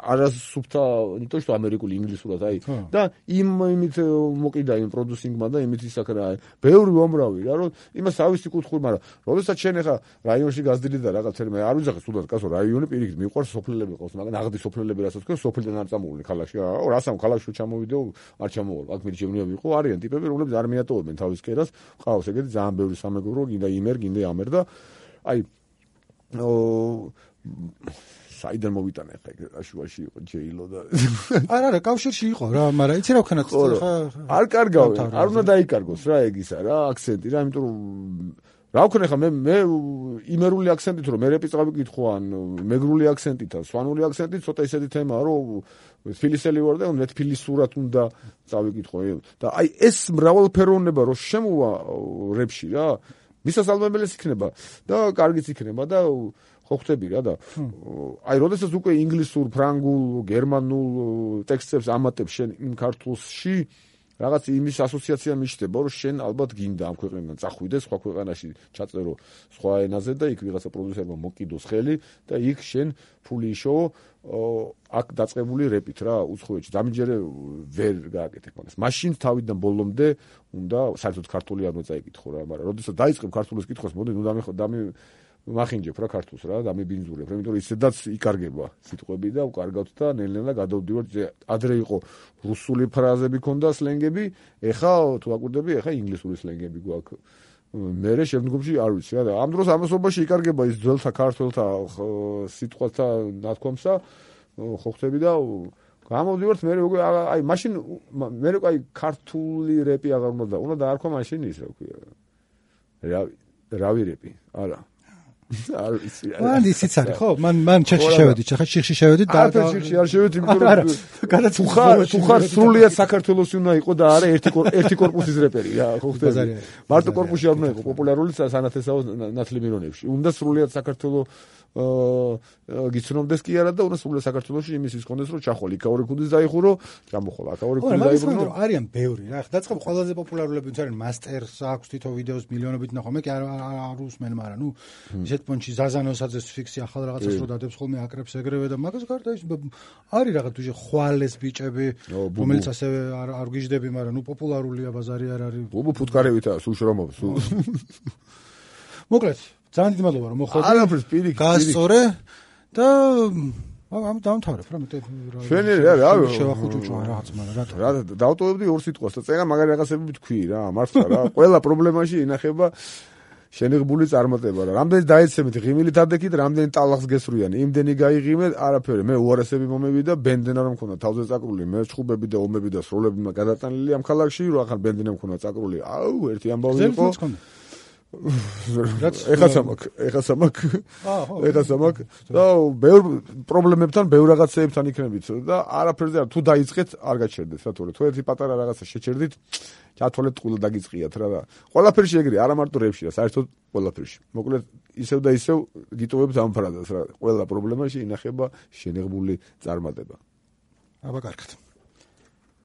არასუფთა ნიტო что ამერიკული ინგლისურად აი და იმით მოკიდა იმ პროდიუსინგმა და იმით ისაკ რა ბევრი უამრავი რა რომ იმას ავისი კუთხური მაგრამ როდესაც შენ ახლა რაიონში გაზრდილი და რაღაც მე არ ვიძახე თუნდაც კაცო რაიონი პირიქით მიყვარს სოფლელები ყავს მაგრამ აღდი სოფლელები რასაც თქვენ სოფლიდან არ წამოვლენ ქალაქში რასამ ქალაქში ჩამოვიდეო არ ჩამოვალ აქ მიჩემნია ვიყო არიან ტიპები რომლებიც არ მიატოვებენ თავის კერას ყავს ეგეთი ძალიან ბევრი სამეგობრო გინდა იმერ გინდა ამერ და აი საიდან მოვიტანე ხა აშუაში იყო ჯეილო და არა კავშირში იყო რა მაგრამ იცი რა ვქნათ ხა არ კარგავენ არ უნდა დაიკარგოს რა ეგ ისა რა აქცენტი რა იმიტომ რომ რა ვქნე ხა მე იმერული აქცენტით რომ მე რეპი წავიკითხო ან მეგრული აქცენტით ან სვანური აქცენტით ცოტა ისეთი თემაა რომ თბილისელი ვარ და მე თბილისურად უნდა წავიკითხო და აი ეს მრავალფეროვნება რომ შემოვა რეპში რა მისასალმებელი იქნება და კარგიც იქნება და ხო ხვდები რა და აი როდესაც უკვე ინგლისურ, ფრანგულ, გერმანულ ტექსტებს ამატებ შენ იმ ქართულში რაღაც იმის ასოციაცია მიჩნდება რომ შენ ალბათ გინდა ამ ქვეყნიდან წახვიდეს სხვა ქვეყანაში ჩაწერო სხვა ენაზე და იქ ვიღაცა პროდიუსერმა მოკიდოს ხელი და იქ შენ ფული იშოვო აქ დაწყებული რეპით რა უცხოეთში დამიჯერე ვერ გააკეთებ მაგას მაშინ თავიდან ბოლომდე უნდა საერთოდ ქართული არ მოწაიკითხო რა მაგრამ როდესაც დაიწყებ ქართულის კითხვას მოდი ნუ მახინჯებ რა ქართულს რა დამიბინძურებ რა იმიტომ რომ ისედაც იკარგება სიტყვები და უკარგავთ და ნელ-ნელა გადავდივართ ადრე იყო რუსული ფრაზები ქონდა სლენგები ეხა თუ აკვირდები ეხა ინგლისური სლენგები გვაქვს მერე შემდგომში არ ვიცი რა და ამ დროს ამასობაში იკარგება ის ძველთა ქართველთა სიტყვათა ნათქვამსა ხო ხვდები და გამოვდივართ მე უკვე აი მაშინ მე უკვე ქართული რეპი აღარ უნდა დაარქვა მაშინ ის რა ქვია რავი რეპი არა არ ვიცი მან ისიც არის ხო მან ჩეხში შევედით ხა შიხში შევედით და შიხში არ შევედით იმიტომ რომ თუ ხარ სრულიად საქართველოსი უნდა იყო და არა ერთი კორპუსის რეპერი რა ხო ხდება მარტო კორპუსი არ უნდა იყო პოპულარული სანათესაო ნათლიმირონებში უნდა სრულიად საქართველოს გიცნობდეს კი არა და უნდა სრულიად საქართველოში იმის ის კონდეს რომ ჩახოლი კაური ქუდის დაიხურო ჩამოხოლა კაური ქუდის დაიბრუნო არიან ბევრი რა დაწყებ ყველაზე პოპულარულები ვინც არიან მასტერს აქვს თვითონ ვიდეოს მილიონობით ნახო მე კი არ უსმენ მაგრამ ნუ ისეთ პონჩი ზაზანოსაძეს ფიქსი ახალ რაღაცას რო დადებს ხოლმე აკრებს ეგრევე და მაგას გარდა ის არის რაღაც თუჟე ხვალეს ბიჭები რომელიც ასევე არ გიждები მაგრამ ნუ პოპულარულია ბაზარი არ არის ბუბუ ფუტკარევითაა სულ შრომობს მოკლედ ძალიან დიდი მადლობა რომ მოხვედი. არაფერს პირიქით. გაასწორე და ამ დავამთავრებ რა მეტყვი რა. შენი რა შევახუჭუჭო რაღაც მაგრამ რატო? რა დავტოვებდი ორ სიტყვას და წერა მაგარი რაღაცები თქვი რა მართლა რა ყველა პრობლემაში ინახება შენიღბული წარმატება რა. რამდენი დაეცემით ღიმილით ადექით, რამდენი ტალახს გესვრიან, იმდენი გაიღიმე, არაფერი. მე უარესები მომევიდა, ბენდენა რომ მქონდა თავზე წაკრული, მე ჩხუბები და ომები და სროლები გადატანილი ამ ქალაქში, რო ახლა ბენდენა მქონდა წაკრული. აუ, ერთი ამბავი იყო. ეხა სამაკ და ბევრ პრობლემებთან, ბევრ რაღაცეებთან იქნებით და არაფერზე თუ დაიწყეთ არ გაჩერდეთ რატო თუ ერთი პატარა რაღაცა შეჩერდით ჩათვალეთ ყულა დაგიწყიათ რა ყველაფერში ეგრე არა მარტო რეპში რა საერთოდ ყველაფერში მოკლედ ისევ და ისევ გიტოვებთ ამ ფრაზას რა ყველა პრობლემაში ინახება შენიღბული წარმატება აბა კარგად